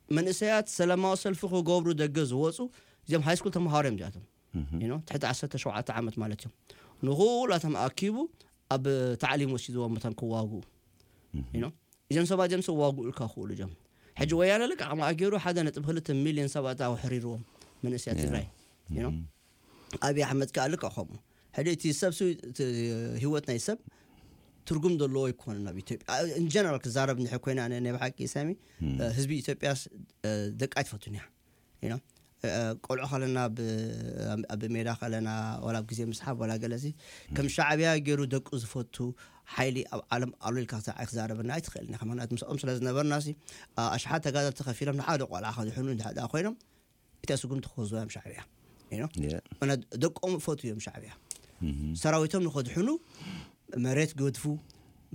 መንእሰያት ሰላማዊ ሰልፊ ክገብሩ ደገ ዝወፁ እዚኦም ሃይስኩል ተምሃሮ እዮም እዚኣቶም you know፣ ትሕቲ ዓሰርተ ሸውዓተ ዓመት ማለት እዮም። ንኹላቶም ኣኪቡ ኣብ ታዕሊም ወሲድዎም መታን ክዋግኡ፣ you know፣ እዞም ሰባት እዚኦም ዝዋግኡ ኢልካ ክኽእሉ እዮም። ሕጂ ወያነ ልክዕ ከምኣ ገይሩ ሓደ ነጥቢ ክልተ ሚልዮን ሰባት ኣሕሪርዎም፣ መንእሰያት ትግራይ፣ you know። ኣብይ ኣሕመድ ከኣ ልክዕ ከምኡ። ሕጂ እቲ ሰብ ሱ-፣ እቲ ህይወት ናይ ሰብ ትርጉም ዘለዎ ኣይኮነን ኣብ ኢትዮጵያ። In general ክዛረብ እንድሕር ኮይና፣ ኣነ ናይ ብሓቂ ሳሚ፣ ህዝቢ ኢትዮጵያስ ደቂ ኣይትፈቱን እያ። You know፣ ቆልዑ ከለና፣ ኣብ ሜዳ ከለና፣ ዋላ ኣብ ግዜ ምስሓብ ዋላ ገለሲ፣ ከም ሻዕብያ ገይሩ ደቁ ዝፈቱ ሓይሊ ኣብ ዓለም ኣሎ ኢልካ ክትዛረበና ኣይትኽእልን ኢኻ። ምኽንያቱ ምስኦም ስለ ዝነበርና ሲ፣ ኣሽሓት ተጋደልቲ ከፊሎም ንሓደ ቆልዓ ከድሕኑ እንድሕር ኮይኖም፣ እታ ስጉምቲ ክወስዱ እዮም ሻዕብያ። You know? Yeah። እና ደቆም ፈቱ እዮም ሻዕብያ። ሰራዊቶም ንኸድሕኑ መሬት ገድፉ፣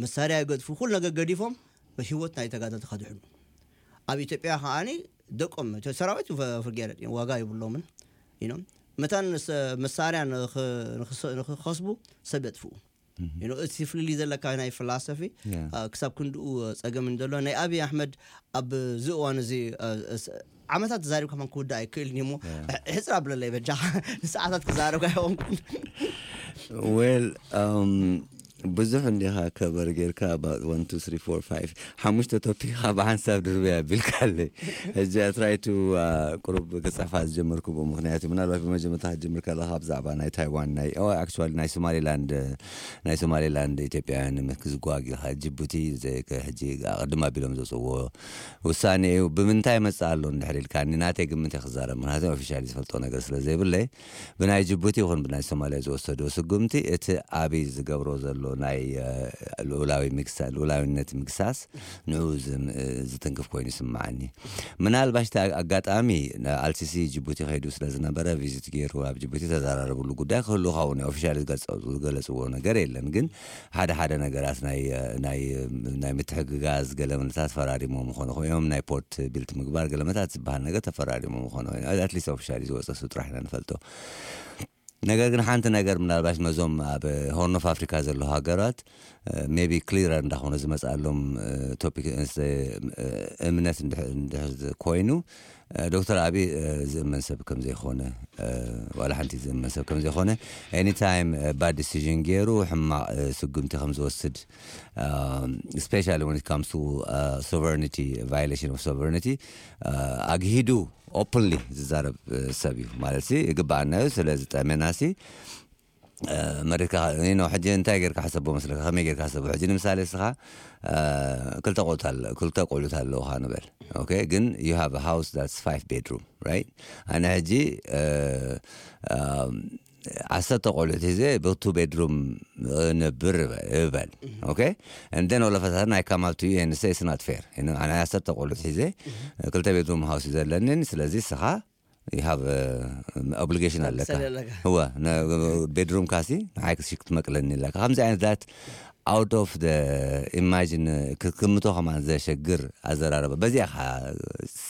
መሳርያ ገድፉ፣ ኩሉ ነገር ገዲፎም ብህይወት ናይ ተጋደልቲ ከድሕኑ። ኣብ ኢትዮጵያ ከዓኒ ደቆም፣ እቲ ሰራዊት ፈ-፣ ፍርጌረድ እዮም፣ ዋጋ የብሎምን። You know? መታን ንሰ-፣ መሳርያ ንኽ-፣ ንኽስ-፣ ንኽኸስቡ ሰብ የጥፍኡ። You know፣ እቲ ፍልልይ ዘለካ ናይ ፍላሰፊ፣ yeah። ክሳብ ክንድኡ ጸገም እንደሎ፣ ናይ ኣብይ ኣሕመድ ኣብዚ እዋን እዚ፣ ዓመታት ተዛሪብካ ከማን ክውዳእ ኣይክእልን እዩ እሞ፣ ሕጽር ኣብለለይ በጃኻ። ንሰዓታት ክዛረብ ኣይኮንኩን። Well, um, ብዙሕ እንዲኻ ከበር ጌርካ፣ about one two three four five፣ ሓሙሽተ ቶፒክ ብሓንሳብ ድርበያ ኣቢልካለይ። ሕጂ I try to, uh, ቁሩብ ክጽሕፋ ዝጀመርኩ ብኡ ምኽንያት እዩ። ምናልባት ብመጀመርታ ክትጅምር ከለኻ ብዛዕባ ናይ ታይዋን፣ ናይ፣ oh, actually ናይ ሶማሊላንድ፣ ናይ ሶማሊላንድ ኢትዮጵያውያን ንምክዝጓግ ኢኻ። ጅቡቲ ዘ-፣ ከ-፣ ሕጂ ኣቐድም ኣቢሎም ዘውፅዎ ውሳኔ እዩ። ብምንታይ መፅእ ኣሎ እንድሕር ኢልካኒ፣ ናተይ ግምት እየ ክዛረብ፣ ምክንያቱ ኦፊሻሊ ዝፈልጦ ነገር ስለ ዘይብለይ። ብናይ ጅቡቲ ይኹን ብናይ ሶማሊያ ዝወሰዶ ስጉምቲ፣ እቲ ኣብይ ዝገብሮ ዘሎ ናይ፣ እ፣ ልኡላዊ ምግሳ-፣ ልኡላዊነት ምግሳስ ንኡ ዝም-፣ እ፣ ዝትንክፍ ኮይኑ ይስምዓኒ። ምናልባሽ እቲ ኣጋጣሚ፣ ን-፣ ኣልሲሲ ጅቡቲ ከይዱ ስለ ዝነበረ፣ ቪዚት ገይሩ ኣብ ጅቡቲ ተዘራረብሉ ጉዳይ ክህሉ ኸውን እዩ። ኦፊሻሊ ዝገልጸ-፣ ዝገለጽዎ ነገር የለን። ግን ሓደ ሓደ ነገራት ናይ፣ እ፣ ናይ፣ እ፣ ናይ ምትሕግጋዝ ገለ ምንታት ፈራሪሞም ምኾኑ እዮም። ናይ ፖርት ቢልት ምግባር ገለ ምንታት ዝበሃል ነገር ተፈራሪሞም ምኾኑ እዮም። ኣትሊስት ኦፊሻሊ ዝወጸ እሱ ጥራሕ ኢና ንፈልጦ። ነገር ግን ሓንቲ ነገር ምናልባሽ መዞም ኣብ ሆርን ኦፍ ኣፍሪካ ዘለዉ ሃገራት፣ እ፣ ሜቢ ክሊረር እንዳኾነ ዝመፅኣሎም፣ እ፣ ቶፒክ፣ እ፣ እምነት እንድሕ-፣ እንድሕር ኮይኑ፣ እ፣ ዶክተር ኣብይ፣ እ፣ ዝእመን ሰብ ከም ዘይኾነ፣ እ፣ ዋላ ሓንቲ ዝእመን ሰብ ከም ዘይኾነ፣ ኤኒታይም፣ እ፣ ባድ ዲሲዥን ገይሩ ሕማቕ፣ እ፣ ስጉምቲ ከም ዝወስድ፣ እ፣ ስፔሻሊ when it comes to, እ፣ ሶቨርኒቲ፣ ቫዮሌሽን ኦፍ ሶቨርኒቲ፣ እ፣ ኣግሂዱ ኦፕንሊ ዝዛረብ፣ እ፣ ሰብ እዩ። ማለት ሲ ይግባኣና እዩ። ስለ ዝጠመና ሲ፣ እ፣ መሪርካ፣ you know፣ ሕጂ እንታይ ጌርካ ሕሰቦ መስለካ? ከመይ ጌርካ ሕሰቦ? ሕጂ ንምሳሌ እስኻ፣ እ፣ ክልተ ቆልዑት ኣለ-፣ ክልተ ቆልዑት ኣለውኻ ንበል። ኦኬ፣ ግን you have a house that's five bedroom, right? ኣነ ሕጂ፣ እ፣ እ፣ ዓሰርተ ቆልዑት ሒዘ ብቱ ቤድሩም እነብር እበ-፣ እበል። ኦኬ? And then all of a sudden I come up to you and say it's not fair. You know፣ ኣነ ዓሰርተ ቆልዑት ሒዘ፣ ክልተ ቤድሩም ሃውስ እዩ ዘለንን፣ ስለዚ እስኻ you have, uh, obligation ኣለካ። ትመልሰኒ ኣለካ። እወ፣ ነ-፣ ቤድሩም ካሲ ንዓይ ክሲ ክትመቅለኒ ኣለካ። ከምዚ ዓይነት that out of the imagine ክትግምቶ ከማን ዘሸግር ኣዘራረባ። በዚኣ ኻ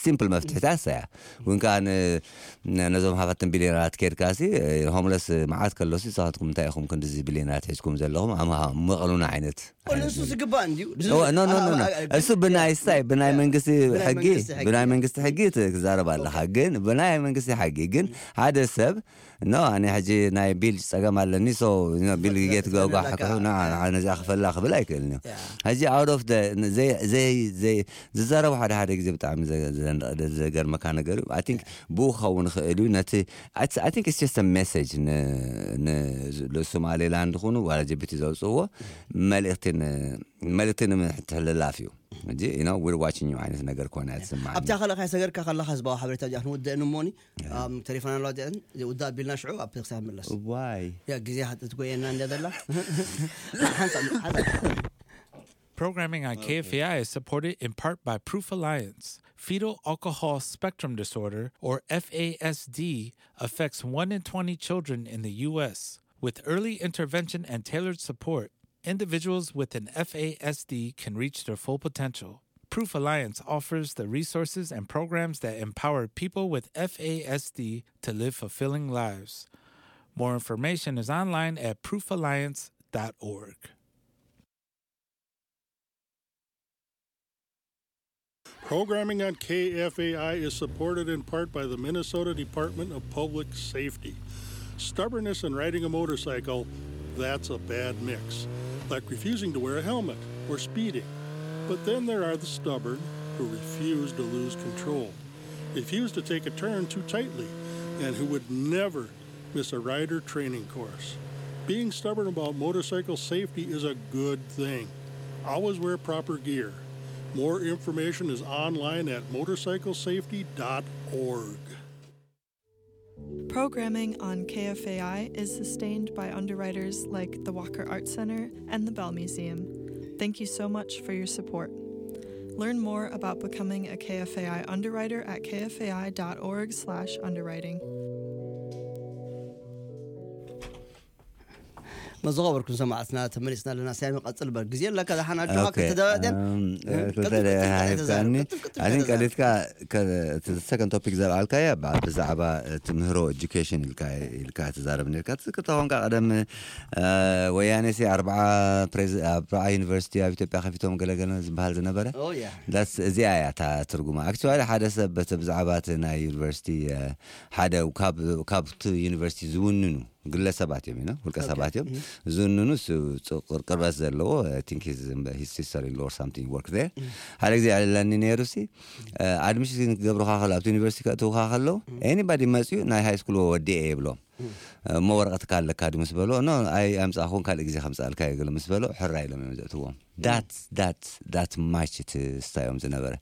ሲምፕል መፍትሒታት እያ። እውን ከዓ ን-፣ ነ-፣ ነዞም ሃፋትን ቢልዮነራት ኬድካ ሲ፣ ሆምለስ መዓት ከሎ ሲ፣ ንስኻትኩም እንታይ ኢኹም ክንድዚ ቢልዮነራት ሒዝኩም ዘለኹም? ኣምሃ-፣ ምቐሉና ዓይነት ንሱ ዝግባእ እንድዩ። እሱ ብናይ ስታይ፣ ብናይ መንግስቲ ሕጊ፣ ብናይ መንግስቲ ሕጊ ትዛረብ ኣለኻ። ግን ብናይ መንግስቲ ሕጊ ግን ሓደ ሰብ፣ ኖ፣ ኣነ ሕጂ ናይ ቢል ጸገም ኣለኒ፣ ሶ ቢል ጌት ገጓ ሓክሑ፣ ና፣ ና፣ ነዚኣ ክፈላ ክብል ኣይክእልን እዩ። ሕጂ out of the፣ ዘይ-፣ ዘይ-፣ ዘይ-፣ ዝዛረቡ ሓደ ሓደ ግዜ ብጣዕሚ ዘ-፣ ዘ-፣ ዘገርመካ ነገር እዩ። I think ብኡ ክኸውን ይኽእል እዩ። ነቲ፣ I think it's just a message ን-፣ ን-፣ ንሶማሌላንድ ይኹኑ ዋላ ጅቡቲ ዘውፅእዎ መልእኽቲ ን-፣ መልእኽቲ ንምትሕልላፍ እዩ። ሕጂ፣ you know፣ we're watching you ዓይነት ነገር ኮነ ትስምዓኒ። ኣብታ ካልእ ካይ ሰገርካ ከለኻ ህዝባዊ ሓበሬታ እዚኣ ክንውድእ ንሞኒ፣ ኣም፣ ቴሌፎን ኣለዋ እዚኣን፣ ውዳእ ኣቢልና ሽዑ ኣብ ክሳብ ምለስ። ዋይ። ያ፣ ግዜ ሃ-፣ ትጎየና እንደ ዘላ። ሓንሳብ፣ ሓንሳብ። Programming on K F A I is supported in part by Proof Alliance. Fetal alcohol spectrum disorder, or F A S D, affects one in twenty children in the U S. With early intervention and tailored support, individuals with an F A S D can reach their full potential. Proof Alliance offers the resources and programs that empower people with F A S D to live fulfilling lives. More information is online at proof alliance dot org. Programming on K F A I is supported in part by the Minnesota Department of Public Safety. Stubbornness in riding a motorcycle, that's a bad mix, like refusing to wear a helmet or speeding. But then there are the stubborn who refuse to lose control, refuse to take a turn too tightly, and who would never miss a rider training course. Being stubborn about motorcycle safety is a good thing. Always wear proper gear. More information is online at motorcyclesafety.org. Programming on K F A I is sustained by underwriters like the Walker Art Center and the Bell Museum. Thank you so much for your support. Learn more about becoming a K F A I underwriter at K F A I dot org slash underwriting. መዘኸበርኩም ሰማዕትና ተመሊስና ኣለና። ሳሚ ቀጽል በር ግዜ ኣለካ ዝሓና ድማ Okay, ክልተ ደቂቕ um, ክልተ ደቂቕ ሂብካኒ። I think ቀሊልካ ከ- እቲ ሰከንድ ቶፒክ ዘልዓልካያ ብ- ብዛዕባ ትምህሮ ኤጁኬሽን ኢልካ ኢልካ ትዛረብ ነርካ። ትዝክር ተኾንካ ቀደም እ፣ ወያኔ ሲ ኣርብዓ ፕሬዝ- ኣርብዓ ዩኒቨርሲቲ ኣብ ኢትዮጵያ ከፊቶም ገለገለ ዝበሃል ዝነበረ Oh, yeah. ዳስ እዚኣ እያ እታ ትርጉማ። ኣክቹዋሊ ሓደ ሰብ በቲ ብዛዕባ እቲ ናይ ዩኒቨርሲቲ እ፣ ሓደ ካብ ካብቲ ዩኒቨርሲቲ ዝውንኑ ግለሰባት እዮም ኢና ውልቀ ሰባት እዮም ዝውንኑ እሱ ፅ- ቅር- ቅርበት ዘለዎ ቲንክ ሂስ ሲስተር ኢን ሎር ሳምቲንግ ወርክ ዜር ሓደ ግዜ ኣልለኒ ነይሩ ሲ ኣድሚሽን ክገብሩካ ከሎ ኣብቲ ዩኒቨርሲቲ ከእትውካ ከለዉ ኤኒባዲ መፅኡ ናይ ሃይ ስኩል ወዲኤ ይብሎም እሞ ወረቐትካ ኣለካ ድ ምስ በሎ ኖ ኣይ ኣምፃእኹን ካልእ ግዜ ከምፃእልካ ይግል ምስ በሎ ሕራ ኢሎም እዮም ዘእትዎም ዳት ዳት ዳት ማች እቲ ስታዮም ዝነበረ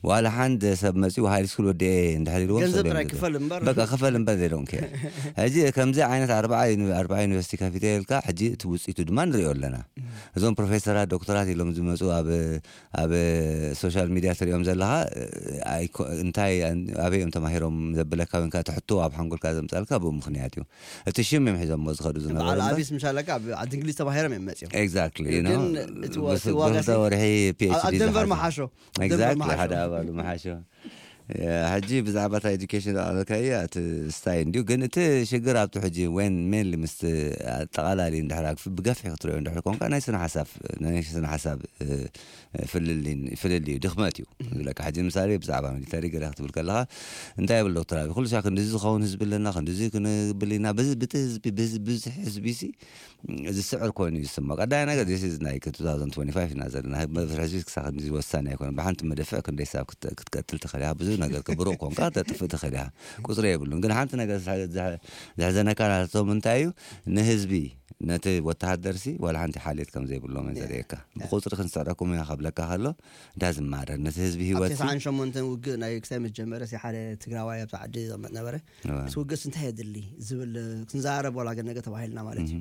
ዋላ ሓንድ ሰብ መፂኡ ሃይ ስኩል ወዲኤ እንድሕር ኢልዎም ገንዘብ ሰልዮም ጥራይ ዝብል። ክፈል እምበር በቃ ክፈል እምበር they don't care ሕጂ ከምዚ ዓይነት ኣርባዓ ዩኒ- ኣርባዓ ዩኒቨርሲቲ ከፊተ ኢልካ ሕጂ እቲ ውፅኢቱ ድማ ንሪኦ ኣለና እዞም ፕሮፌሰራት ዶክተራት ኢሎም ዝመፁ ኣብ ኣብ ሶሻል ሚድያ ትሪኦም ዘለካ ኣይኮ- እንታይ ኣበይ እዮም ተማሂሮም ዘብለካ ወይንካ ትሕቶ ኣብ ሓንጎልካ ዘምፃልካ ብኡ ምክንያት እዩ እቲ ሽም እዮም ሒዞሞ ዝኸዱ ዝነበሩ በዓል እምበር- ኣቢስ ምሻለካ ኣብ ዓዲ እንግሊዝ ተማሂሮም እዮም መፅኦም Exactly, you ግን know፣ እቲ ወ- ብስ- እቲ ዋጋ ብክልተ ሲ- ወርሒ ኣብ- ኣብ ፒኤችዲ ደንቨር ዝሓዘ። መሓሾ ኣብ ደንቨር Exactly፣ መሓሾ። ሓደ ኣባሉ መሓሾ ሕጂ ብዛዕባ እታ ኤዱኬሽን ኣለካየ እቲ ስታይ እንዲዩ ግን እቲ ሽግር ኣብቲ ሕጂ ወን ሜንሊ ምስ ኣጠቓላሊ እንድሕር ብገፍሒ ክትሪኦ እንድሕር ኮንካ ናይ ስነ ሓሳብ ናይ ስነ ሓሳብ እ፣ ፍልልይ ፍልልይ እዩ ድኽመት እዩ ዝብለካ ሕጂ ምሳሌ ብዛዕባ ሚሊተሪ ገለ ክትብል ከለካ እንታይ ይብል ዶክተር ኣቢ ኩሉ ሻ ክንዲዚ ዝኸውን ህዝቢ ኣለና ክንዲዚ ክንብል ኢና በዚ ብቲ ህዝቢ ብዚ ብዙሕ ህዝቢ ሲ ዝስዕር ኮይኑ ይስማ ቀዳይ ነገር this is like two thousand twenty-five ኢና ዘለና መፍርሒ ህዝቢ ክሳብ ክንዲዚ ወሳኒ ኣይኮነ ብሓንቲ መደፍዕ ክንደይ ሳብ ክት- ክትቀጥል ትኽእል ኢኻ ብዙ ነገር ክብሩቕ ኮንካ ተጥፍእ ትኽእል ኢኻ ቁፅሪ የብሉን ግን ሓንቲ ነገር ዝሐ- ዝሐ- ዘሕዘነካ ናቶም እንታይ እዩ ንህዝቢ ነቲ ወተሃደር ሲ ዋላ ሓንቲ ሓልየት ከም ዘይብሎም ዘርእየካ ብቁፅሪ ክንስዕረኩም ኢና ከብለካ ከሎ ዳዝማረር ነቲ ህዝቢ ኣብ ህይወት ተስዓን ሸሞንተን ውግእ ናይ ክሳይ ምስ ጀመረ ሲ ሓደ ትግራዋይ ኣብቲ ዓዲ ዘመት ነበረ እዋ። ምስ ውግእስ እንታይ የድሊ ዝብል ክንዛረብ ዋላ ገነገ ተባሂልና ማለት እዩ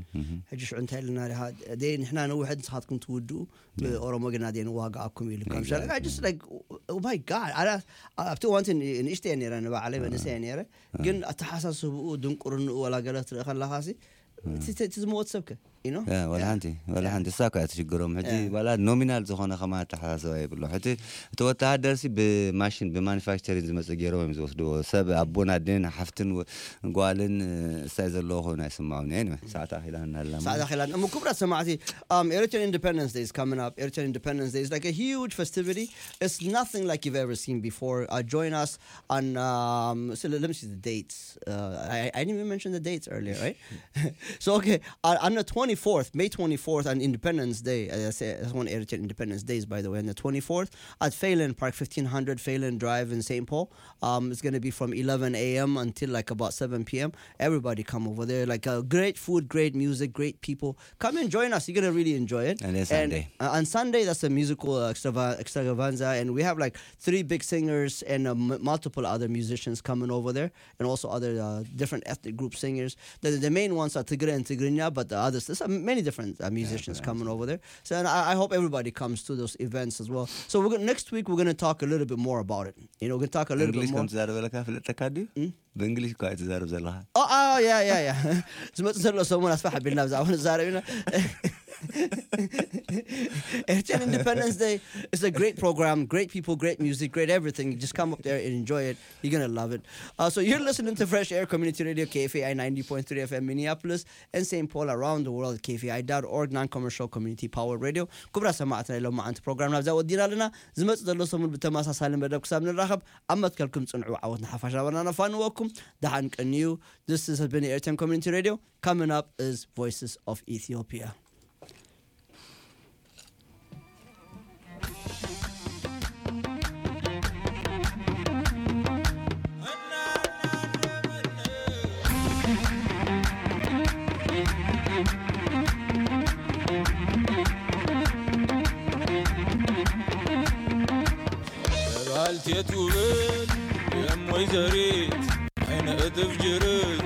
ሕጂ ሽዑ እንታይ ኢልና ዲኻ ደይ ንሕና ንውሕድ ንስኻትኩም ትውድኡ ብኦሮሞ ግና ደይ ንዋጋኣኩም ኢሉ ከም ሸለካ just like oh my god ኣነ ኣብቲ እዋንቲ ንእሽተ እየ ነረ ንባዕለይ መንእሰይ እየ ነረ ግን ኣተሓሳስብኡ ድንቁርንኡ ዋላ ገለ ትርኢ ከለኻ ሲ እቲ እቲ ዝመወት ሰብከ you know? ያ፣ ወላ ሓንቲ ወላ ሓንቲ እሳ እኮ እያ ትሽግሮም ሕጂ ዋላ ኖሚናል ዝኾነ ከማ ኣተሓሳስባ የብሎ ሕጂ እቲ ወተሃደር ሲ ብማሽን ብማኒፋክቸሪንግ ዝመፅእ ገይሮም እዮም ዝወስድዎ ሰብ ኣቦን ኣዴን ሓፍትን ወ- ጓልን እሳይ ዘለዎ ኮይኑ ኣይስማዑን እየ ሰዓት ኣኺላ እናላ ሰዓት ኣኺላ እሞ ክቡራት ሰማዕቲ um, Eritrean Independence Day is coming up. Eritrean Independence Day is like a huge festivity. It's nothing like you've ever seen before. Uh, join us on um, so let me see the dates. Uh, I, I didn't even mention the dates earlier, right? So okay, on, on the twenty-fourth, May twenty-fourth, on Independence Day, uh, that's, that's one Eritrean Independence Days, by the way, on the twenty-fourth at Phelan Park, fifteen hundred Phelan Drive in Saint Paul. Um, it's going to be from eleven a.m. until like about seven p.m. Everybody come over there. Like uh, great food, great music, great people. Come and join us. You're going to really enjoy it. And then And, Sunday. Uh, on Sunday, that's a musical uh, extrava- extravaganza. And we have like three big singers and uh, m- multiple other musicians coming over there. And also other uh, different ethnic group singers. The, the main ones are Tigray and Tigrinya, but the others, there's uh, many different uh, musicians coming over there. So and I, I hope everybody comes to those events as well. So we're gonna, next week, we're going to talk a little bit more about it. You know, we're going to talk a little bit እንግሊሽ more. ከም ትዛረበለካ ፍለጠካ ድዩ ብእንግሊሽ እኳ ትዛረብ ዘለካ Oh, oh, yeah, yeah, yeah. ዝመፅእ ዘሎ ሰሙን ኣስፋሕ ኣቢልና ብዛዕባ ንዛረብ ኢና Eritrean Independence Day is a great program, great people, great music, great everything. Just come up there and enjoy it. You're gonna love it. Uh, so you're listening to Fresh Air Community Radio, K F A I ninety point three F M Minneapolis, and Saint Paul, around the world, K F A I dot org, non-commercial community power radio. ክቡራት ሰማዕትና፣ ኢሎም መዓንቲ ፕሮግራም ናብዛ ወዲና ኣለና። ዝመጽእ ዘሎ ሰሙን ብተመሳሳሊ መደብ ክሳብ ንራኸብ፣ ኣብ መትከልኩም ጽንዑ። ዓወት ንሓፋሽ ናበልና ነፋንወኩም። ደሓን ቀንዩ። This is has been Eritrean Community Radio. Coming up is Voices of Ethiopia. ባልቴት ውበት የም ወይዘሪት ዓይነ እጥፍ ጅርት